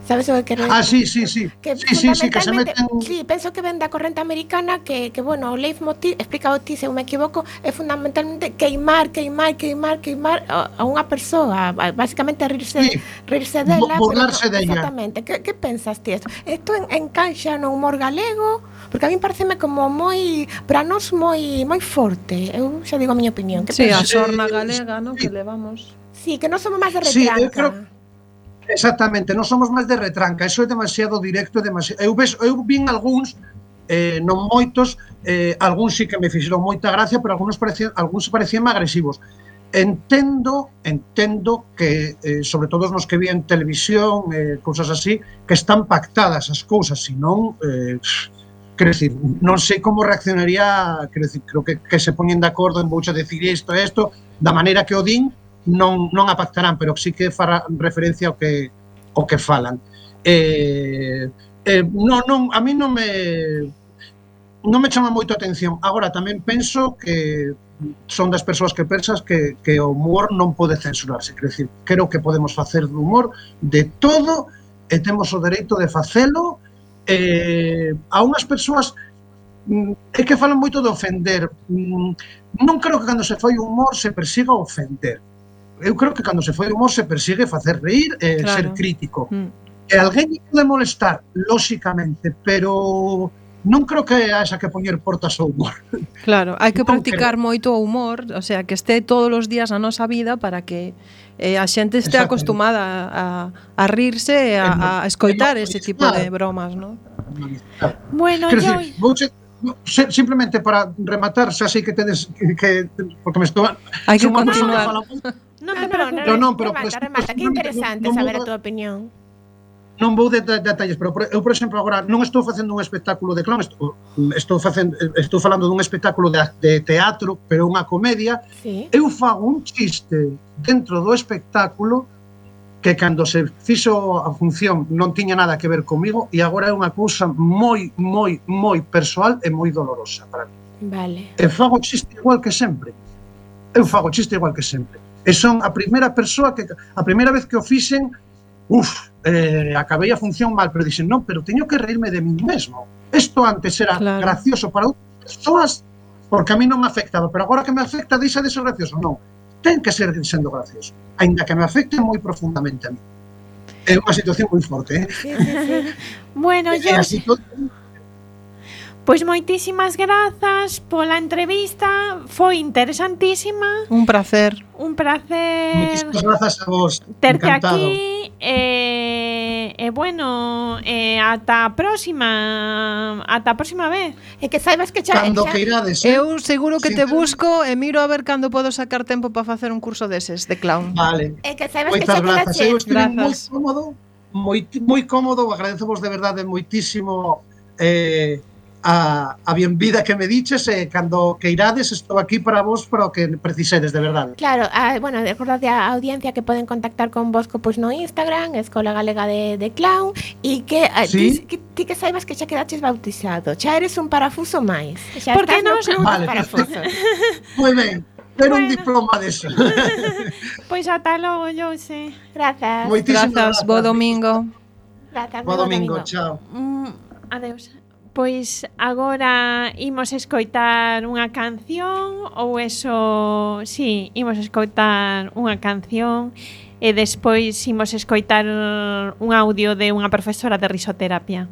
Sabes o que quero Ah, sí, sí, sí. Que sí, sí, sí, que se meten... Sí, penso que ven da corrente americana que, que bueno, o leitmotiv, explica o ti se eu me equivoco, é fundamentalmente queimar, queimar, queimar, queimar a, a unha persoa, basicamente rirse, sí. rirse dela. Burlarse pero, dela. Exactamente. Que, que pensas ti isto? Isto en, encaixa no humor galego? Porque a mí pareceme como moi, para nós moi moi forte. Eu xa digo a miña opinión. Que sí, pensas? a sorna galega, ¿no? Sí. Que levamos. Sí, que non somos máis de retranca. Sí, eu creo... Exactamente, non somos máis de retranca, eso é demasiado directo, demasiado... Eu, ves, eu vin algúns, eh, non moitos, eh, algúns sí que me fixeron moita gracia, pero algúns parecían, algúns parecían agresivos. Entendo, entendo que, eh, sobre todo nos que vi en televisión, eh, cousas así, que están pactadas as cousas, senón, eh, quero dicir, non sei como reaccionaría, quero dicir, creo que, que se poñen de acordo en vouche decir isto e isto, da maneira que o din, non, non a pactarán, pero sí que fará referencia ao que, ao que falan. Eh, eh, non, non, a mí non me non me chama moito a atención. Agora, tamén penso que son das persoas que pensas que, que o humor non pode censurarse. Quero dicir, creo que podemos facer do humor de todo e temos o dereito de facelo. Eh, a unhas persoas é que falan moito de ofender. Non creo que cando se fai humor se persiga ofender. Eu creo que cando se fai humor se persigue facer reír e claro. Ser crítico. Mm. E alguén pode molestar, lóxicamente, pero non creo que haxa que poñer portas ao humor. Claro, hai que Non practicar creo. moito o humor, o sea, que este todos os días na nosa vida para que eh, a xente este Exacto. acostumada a, a rirse e a, a escoitar ese tipo de bromas, ¿no? Bueno, Quero yo... dicir, vouche, se- simplemente para rematar, xa sei que tedes que, que porque me estou Hai que son unha persoa continuar. que fala moito, No No, te no, preocupes. No, no, pero, remata, pues, remata, pues, que interesante non- non saber a vou- tua opinión. non vou de de- detalles, pero por- eu, por exemplo, agora non estou facendo un espectáculo de clown, estou, estou facendo estou falando dun espectáculo de, de teatro, pero unha comedia. Sí. Eu fago un chiste dentro do espectáculo que cando se fixo a función non tiña nada que ver comigo e agora é unha cousa moi, moi, moi persoal e moi dolorosa para mí. Vale. E fago chiste igual que sempre. Eu fago chiste igual que sempre. E son a primeira persoa que a primeira vez que o fixen, uf, eh, acabei a función mal, pero dixen, non, pero teño que reírme de mí mesmo. Isto antes era Claro. gracioso para outras persoas porque a mí non me afectaba, pero agora que me afecta deixa de ser gracioso. Non, ten que ser sendo gracioso, aínda que me afecte moi profundamente a mí. É unha situación moi forte, eh? Sí, sí, sí. Bueno, E yo... así todo, Pois moitísimas grazas pola entrevista, foi interesantísima, Un placer. un placer moitísimas grazas a vos. terte Encantado. aquí e, e bueno, e ata a próxima, ata a próxima vez. E que saibas que xa... Cando xa- que irades, eh? Eu seguro que te Sinceramente. busco e miro a ver cando podo sacar tempo para facer un curso deses de clown. Vale. E que saibas que Moitas xa grazas. quedache... Eu estive moi Grazas. cómodo, moi, moi cómodo, agradecevos de verdade moitísimo eh, a, a bienvida que me diches e cando que irades estou aquí para vos para o que precisedes, de verdade. Claro, a, bueno, recordade a audiencia que poden contactar con vos co, pois, no Instagram, Escola Galega de, de Clown, e que, a, Sí. ti, que ti que saibas que xa quedaches bautizado, xa eres un parafuso máis. Xa Por que estás no non? club Vale, dos parafusos. Moi ben, ter un Bueno. diploma deso. Pois ata logo, Jose. Grazas. Moitísimas Grazas, bo domingo. Grazas, Bo bo domingo, chao. Mm, adeus. Pois agora imos escoitar unha canción ou eso, sí, imos escoitar unha canción e despois imos escoitar un audio de unha profesora de risoterapia.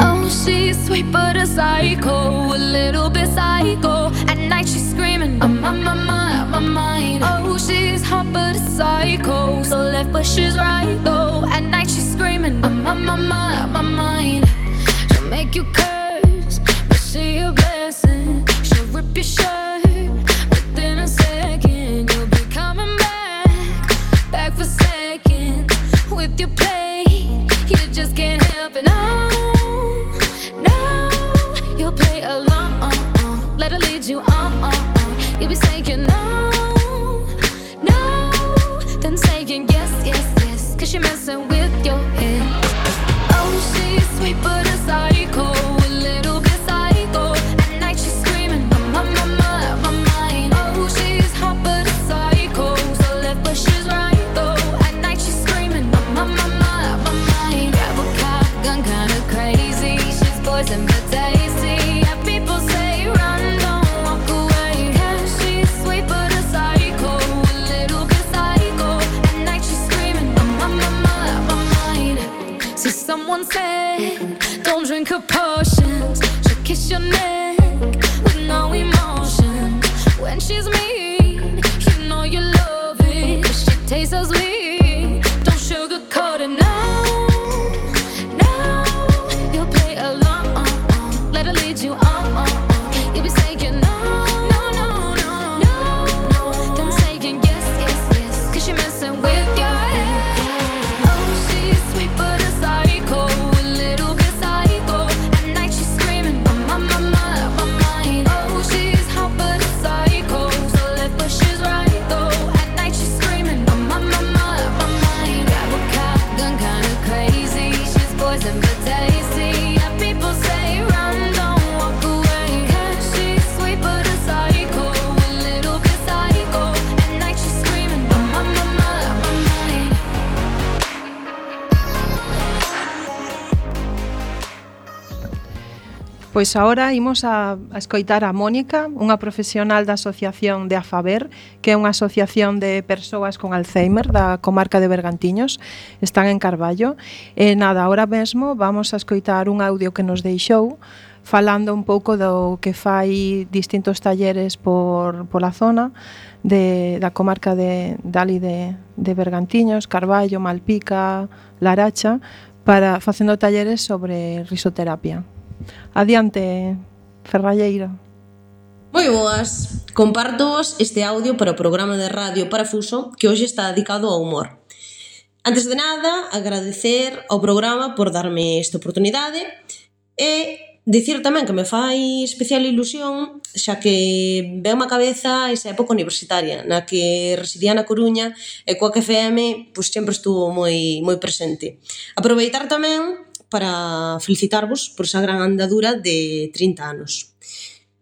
Oh, she's sweet but a psycho, a little bit psycho. At night she's screaming, I'm on my mind, my mind. Oh, she's hot but a psycho, so left but she's right though. At night she's screaming, I'm on my mind, my mind. She'll make you curse, but she a blessing. She'll rip your shirt within a second. You'll be coming back, back for seconds with your play. You just can't help it. No, no, you'll play along. Let her lead you on. You'll be saying no, no, then saying yes, yes, yes, cause you're messing with your head. Oh, she's sweet but a psycho, a little bit psycho. At night she's screaming, I'm on my mind, my mind. Oh, she's hot but a psycho, so left but she's right though. At night she's screaming, I'm on my mind, my mind. Grab a cop gun, kinda crazy. She's poison but tasty. Yeah, people say run, don't walk away. Yeah, she's sweet but a psycho, a little bit psycho. At night she's screaming, I'm on my mind, my mind. See, someone said, don't drink her potions. She'll kiss your neck with no emotion. When she's mean, you know you love it, 'cause she tastes so sweet. Don't sugarcoat it, no, no. You'll play along, let her lead you on. You'll be saying no, no, no, no, no, then saying yes, yes, yes, 'cause you're messing with your head. Oh, she's sweet but a psycho, a little bit psycho. At night she's screaming, I'm on my mind, my mind. Oh, she's hot but a psycho, so left but she's right though. At night she's screaming, I'm on my mind, my mind. Grab a cop gun, kinda crazy. She's poison but tasty. Yeah, people say run, don't walk away. 'Cause she's sweet but a psycho, a little bit psycho. At night she's screaming, I'm on my mind, my Pois agora imos a, a escoitar a Mónica, unha profesional da asociación de AFABER, que é unha asociación de persoas con Alzheimer da comarca de Bergantiños, están en Carballo. E nada, agora mesmo vamos a escoitar un audio que nos deixou falando un pouco do que fai distintos talleres por pola zona de, da comarca de Dali de, de Bergantiños, Carballo, Malpica, Laracha, para facendo talleres sobre risoterapia. Adiante, Ferralleira. Moi boas, compartovos este audio para o programa de radio Parafuso que hoxe está dedicado ao humor. Antes de nada, agradecer ao programa por darme esta oportunidade e dicir tamén que me fai especial ilusión xa que veo má cabeza esa época universitaria na que residía na Coruña e coa F M pois sempre estuvo moi, moi presente. Aproveitar tamén para felicitarvos por esa gran andadura de trinta anos.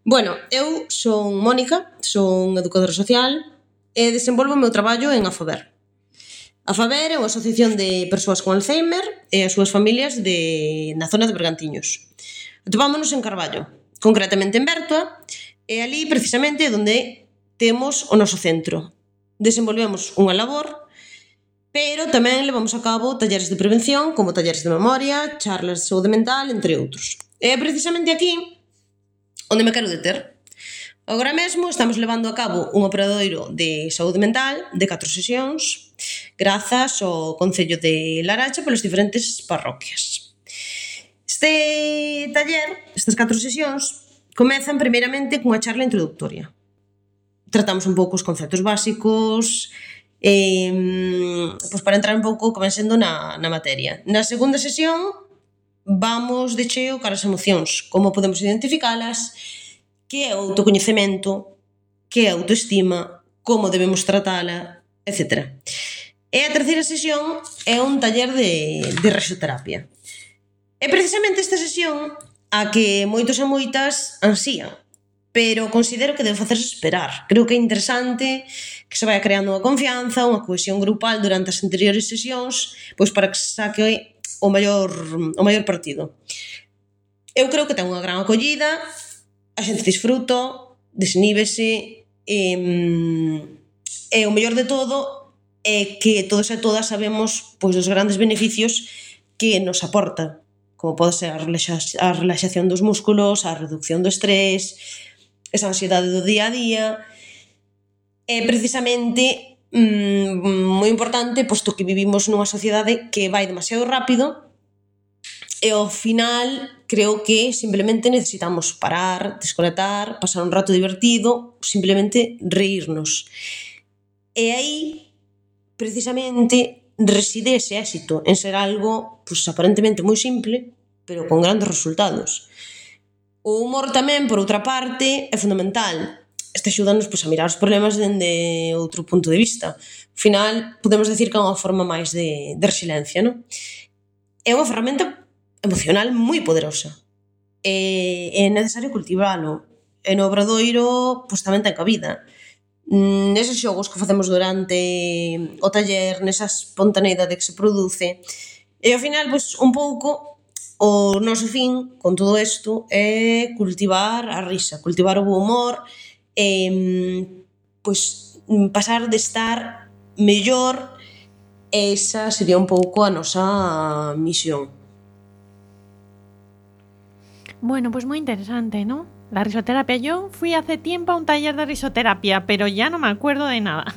Bueno, eu son Mónica, son educadora social e desenvolvo o meu traballo en AFABER. AFABER é unha asociación de persoas con Alzheimer e as súas familias de, na zona de Bergantiños. Atopámonos en Carballo, concretamente en Bertoa, e ali precisamente é onde temos o noso centro. Desenvolvemos unha labor, pero tamén levamos a cabo talleres de prevención, como talleres de memoria, charlas de saúde mental, entre outros. E é precisamente aquí onde me quero deter. Agora mesmo estamos levando a cabo un obradoiro de saúde mental de catro sesións, grazas ao Concello de Laracha polas diferentes parroquias. Este taller, estas catro sesións, comezan primeiramente cunha charla introductoria. Tratamos un pouco os conceptos básicos, Eh, pois para entrar un pouco como sendo na, na materia. Na segunda sesión vamos de cheo cara as emocións, como podemos identificalas, que é o autocoñecemento, que é a autoestima, como debemos tratala, etcétera. E a terceira sesión é un taller de, de risoterapia. É precisamente esta sesión a que moitos e moitas ansían, pero considero que debe facerse esperar. Creo que é interesante que se vaya creando unha confianza, unha cohesión grupal durante as anteriores sesións, pois para que se saque o maior, o maior partido. Eu creo que ten unha gran acollida, a xente disfruta, desníbese, e, e o mellor de todo é que todos e todas sabemos pois dos grandes beneficios que nos aporta, como pode ser a relaxación dos músculos, a reducción do estrés, esa ansiedade do día a día. É precisamente mmm, moi importante, posto que vivimos nunha sociedade que vai demasiado rápido e ao final creo que simplemente necesitamos parar, desconectar, pasar un rato divertido, simplemente reírnos. E aí, precisamente, reside ese éxito en ser algo pues, aparentemente moi simple, pero con grandes resultados. O humor tamén, por outra parte, é fundamental. Este axúdanos pois, a mirar os problemas dende outro punto de vista. Ao final, podemos decir que é unha forma máis de, de resiliencia, non? É unha ferramenta emocional moi poderosa. E é necesario cultivalo. E no obradoiro, pois tamén ten cabida. Neses xogos que facemos durante o taller, nesa espontaneidade que se produce. E ao final, pois, un pouco... O noso fin con todo isto é cultivar a risa, cultivar o bo humor e pois pasar de estar mellor, esa sería un pouco a nosa misión. Bueno, pues muy interesante, ¿no? La risoterapia. Yo fui hace tiempo a un taller de risoterapia, pero ya no me acuerdo de nada,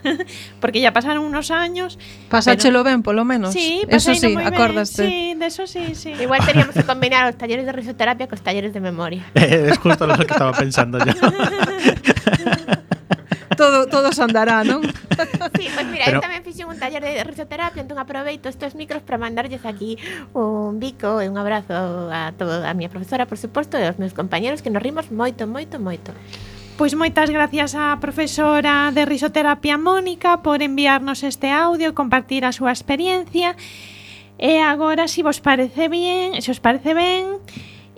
porque ya pasaron unos años. Pasáchelo pero... ben, polo menos. Sí, eso sí, acordaste. Sí, de eso sí, sí. Igual teníamos que combinar los talleres de risoterapia con los talleres de memoria. Es justo lo que estaba pensando yo. todo, todo se andará, ¿no? Sí, pues mira, Pero... eu tamén fixen un taller de risoterapia, entón aproveito estes micros para mandarlles aquí un bico e un abrazo a toda a miña profesora, por suposto, e aos meus compañeros que nos rimos moito, moito, moito. Pois moitas gracias á profesora de risoterapia Mónica por enviarnos este audio e compartir a súa experiencia. E agora, se vos parece bien, se os parece ben,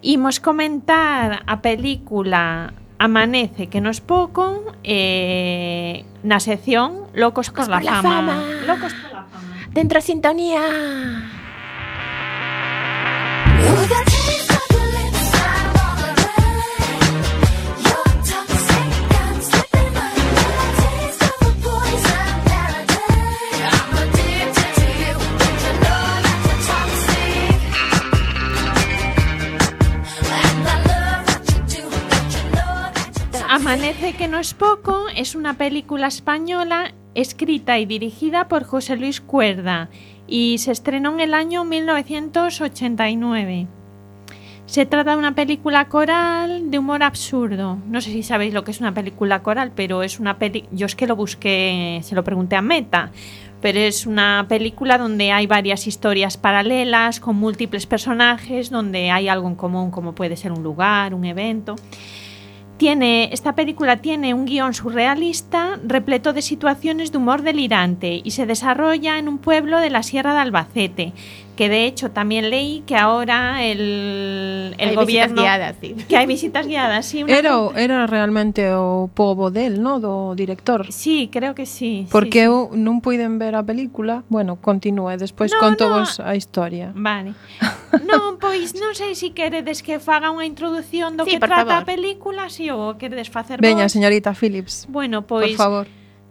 imos comentar a película Amanece que nos pouco eh, na sección Locos, Locos por, la, por la fama. fama. Locos por la fama. Dentro a sintonía. Amanece que no es poco es una película española escrita y dirigida por José Luis Cuerda y se estrenó en el año mil novecientos ochenta y nueve. Se trata de una película coral de humor absurdo. No sé si sabéis lo que es una película coral, pero es una peli... Yo es que lo busqué, se lo pregunté a Meta, pero es una película donde hay varias historias paralelas con múltiples personajes, donde hay algo en común, como puede ser un lugar, un evento. Tiene, esta película tiene un guión surrealista repleto de situaciones de humor delirante y se desarrolla en un pueblo de la Sierra de Albacete, que de hecho también leí que ahora el, el hay gobierno... visitas guiadas, sí. Que hay visitas guiadas, sí. Una... Era, era realmente o pobo del, no? Do director. Sí, creo que sí. Porque sí, eu non puiden ver a película. Bueno, continúe, despois no, conto no. vos a historia. Vale. Non, pois non sei se queredes que faga unha introducción do Sí, que por trata a favor. película, si o queredes facer Veña, vos. señorita Phillips, Bueno, por pois favor.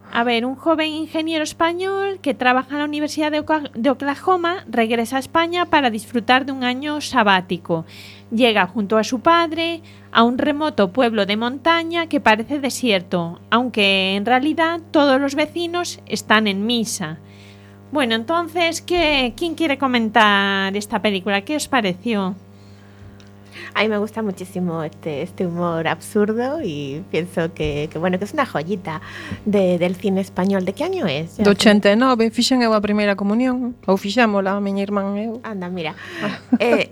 a ver, un joven ingeniero español que trabaja en la Universidad de Oca- de Oklahoma regresa a España para disfrutar de un año sabático. Llega junto a su padre a un remoto pueblo de montaña que parece desierto, aunque en realidad todos los vecinos están en misa. Bueno, entonces, ¿qué, ¿quién quiere comentar esta película? ¿Qué os pareció? A mí me gusta muchísimo este, este humor absurdo y pienso que, que bueno, que es una joyita de, del cine español. ¿De qué año es? Ya Do sé. ochenta e nove, fixen eu a primeira comunión. Ou fixémola, a miña irmán e eu. Anda, mira. eh,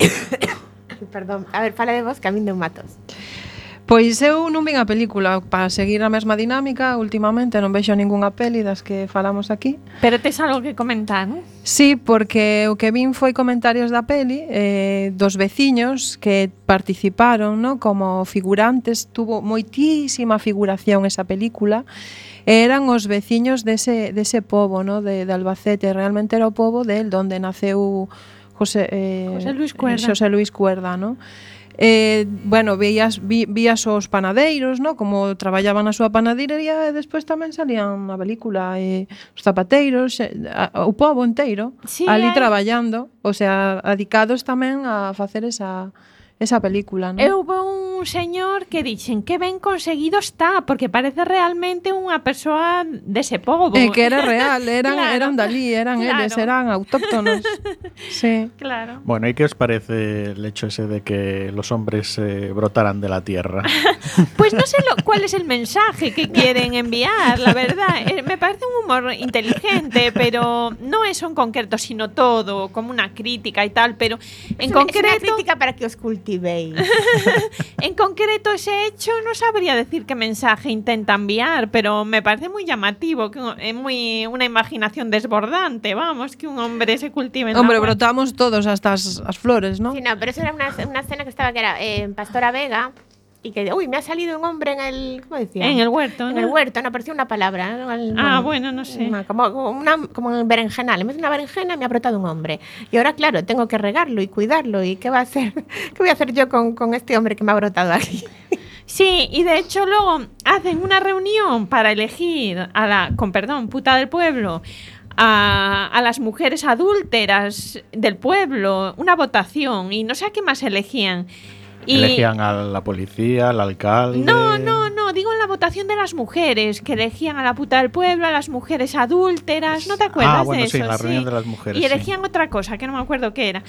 perdón, a ver, fala de vos que a min deu matos. Pois eu non vin a película para seguir a mesma dinámica. Últimamente non vexo ningunha peli das que falamos aquí. Pero tes algo que comentar, non? Sí, porque o que vin foi comentarios da peli eh, dos veciños que participaron, ¿no? Como figurantes. Tuvo moitísima figuración esa película. Eran os veciños dese, dese pobo, ¿no? de, de Albacete. Realmente era o pobo del donde naceu José, eh, José Luis Cuerda. José Luis Cuerda, ¿no? Eh, bueno, vías, vi, vías os panadeiros, ¿no? Como traballaban na súa panadería e despois tamén salían na película eh, os zapateiros, eh, a, o pobo inteiro Sí, ali hai- traballando, o sea, dedicados tamén a facer esa, esa película, ¿no? E houve un señor que dixen que ben conseguido está, porque parece realmente unha persoa dese pobo. E que era real, eran, Claro. eran dalí, eran Claro. eles, eran autóctonos. Sí. Claro. Bueno, ¿y qué os parece el hecho ese de que los hombres eh, brotaran de la tierra? Pues no sé lo, cuál es el mensaje que quieren enviar, la verdad. Eh, me parece un humor inteligente, pero no eso en concreto, sino todo, como una crítica y tal, pero en Es una- concreto... Es una crítica para que os cultivéis. En concreto ese hecho no sabría decir qué mensaje intenta enviar, pero me parece muy llamativo, que es muy una imaginación desbordante, vamos, que un hombre se cultive en la Hombre, huerta. brotamos todos hasta as, as flores, ¿no? Sí, no, pero eso era una, una escena que estaba que era eh, en Pastora Vega y que, uy, me ha salido un hombre en el, ¿cómo decía? En el huerto, En ¿no? el huerto, no, parecía una palabra. ¿no? El- Ah, bueno, no sé. una- como, como una, como un berenjenal. En vez de una berenjena me ha brotado un hombre. Y ahora, claro, tengo que regarlo y cuidarlo. ¿Y qué va a hacer? ¿Qué voy a hacer yo con, con este hombre que me ha brotado aquí? Sí, y de hecho luego hacen una reunión para elegir a la, con perdón, puta del pueblo, a, a las mujeres adúlteras del pueblo, una votación, y no sé a qué más elegían. Y Elegían a la policía, al alcalde... no, no, no, digo en la votación de las mujeres, que elegían a la puta del pueblo, a las mujeres adúlteras, ¿no te acuerdas Ah, bueno, de sí, eso? en la reunión de las mujeres, Y sí. elegían otra cosa, que no me acuerdo qué era.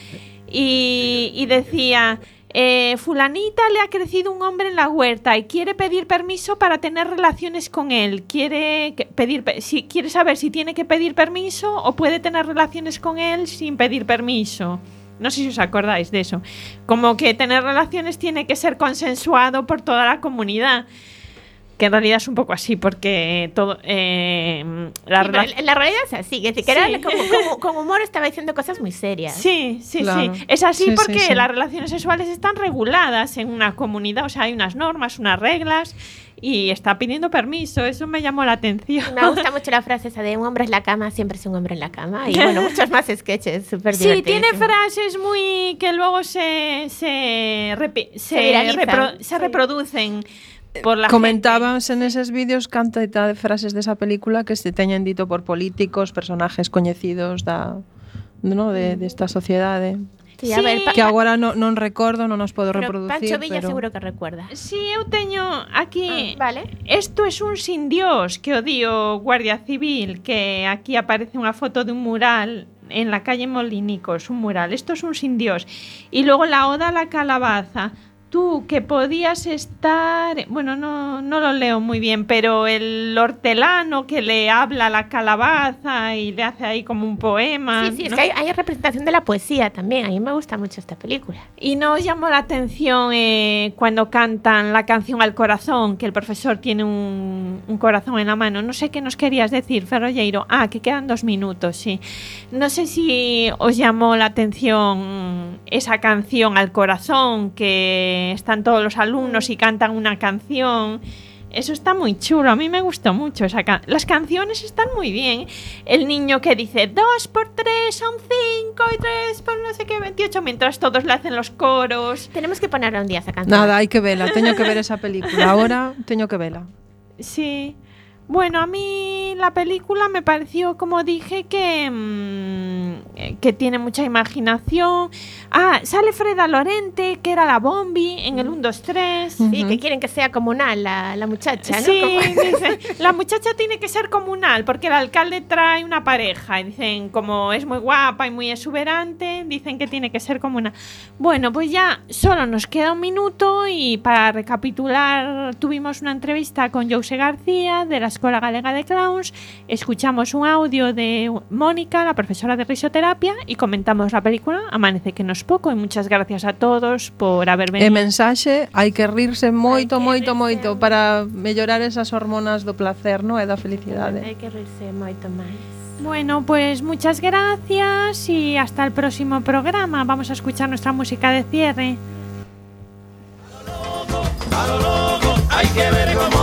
Y, y decía, eh, fulanita le ha crecido un hombre en la huerta y quiere pedir permiso para tener relaciones con él. Quiere que- pedir, pe- si, quiere saber si tiene que pedir permiso o puede tener relaciones con él sin pedir permiso. No sé si os acordáis de eso. Como que tener relaciones tiene que ser consensuado por toda la comunidad. Que en realidad es un poco así, porque todo eh, la Sí, pero rela- en la realidad es así. Es decir, que Sí. era como, como- con humor estaba diciendo cosas muy serias. Sí, sí, Claro. sí. Es así Sí, porque sí, sí. las relaciones sexuales están reguladas en una comunidad, o sea, hay unas normas, unas reglas y está pidiendo permiso. Eso me llamó la atención. Me gusta mucho la frase esa de un hombre en la cama siempre es un hombre en la cama. Y bueno, muchos más sketches súper Sí, divertidos. tiene frases muy que luego se se, repi- se, Se viralizan, repro- se sí. reproducen por la Comentábanse neses vídeos cantidad de frases desa película que se teñen dito por políticos, personajes coñecidos da, no, de, desta sociedade. Sí, a ver, pa- que agora no, non recordo, non os podo pero reproducir, Pancho Villa pero... seguro que recuerda. Sí, eu teño aquí... Ah, vale. Isto é un sin Dios que o dio Guardia Civil, que aquí aparece unha foto de un mural en la calle Molinicos, un mural. Esto es un sin Dios. Y luego la oda a la calabaza. Tú, que podías estar... Bueno, no, no lo leo muy bien, pero el hortelano que le habla a la calabaza y le hace ahí como un poema. Sí, sí, es ¿no? que hay, hay representación de la poesía también. A mí me gusta mucho esta película. Y nos llamó la atención eh, cuando cantan la canción Al Corazón, que el profesor tiene un, un corazón en la mano. No sé qué nos querías decir, Ferrolleiro. Ah, que quedan dos minutos, sí. No sé si os llamó la atención esa canción Al Corazón, que están todos los alumnos y cantan una canción. Eso está muy chulo, a mí me gustó mucho esa can- las canciones están muy bien. El niño que dice dos por tres son cinco y tres por no sé qué veintiocho, mientras todos le hacen los coros. Tenemos que ponerla un día esa canción. Nada, hai que vela, teño que ver esa película. Ahora teño que vela. Sí. Bueno, a mí la película me pareció, como dije, que, mmm, que tiene mucha imaginación. Ah, sale Freda Lorente, que era la Bombi en el uno, dos, tres. Sí, que quieren que sea comunal la, la muchacha, ¿no? Sí, Como- dicen, la muchacha tiene que ser comunal porque el alcalde trae una pareja y dicen, como es muy guapa y muy exuberante, dicen que tiene que ser comunal. Bueno, pues ya solo nos queda un minuto y para recapitular tuvimos una entrevista con Jose García de la Escuela Galega de Clowns, escuchamos un audio de Mónica, la profesora de risoterapia, y comentamos la película Amanece que no es poco, y muchas gracias a todos por haber E venido. mensaxe, hai que rirse moito, Hai que moito, rirse moito moito. para mellorar esas hormonas do placer, no? E da felicidade. Hay que reírse moito máis. Bueno, pues muchas gracias y hasta el próximo programa. Vamos a escuchar nuestra música de cierre. Hay que ver cómo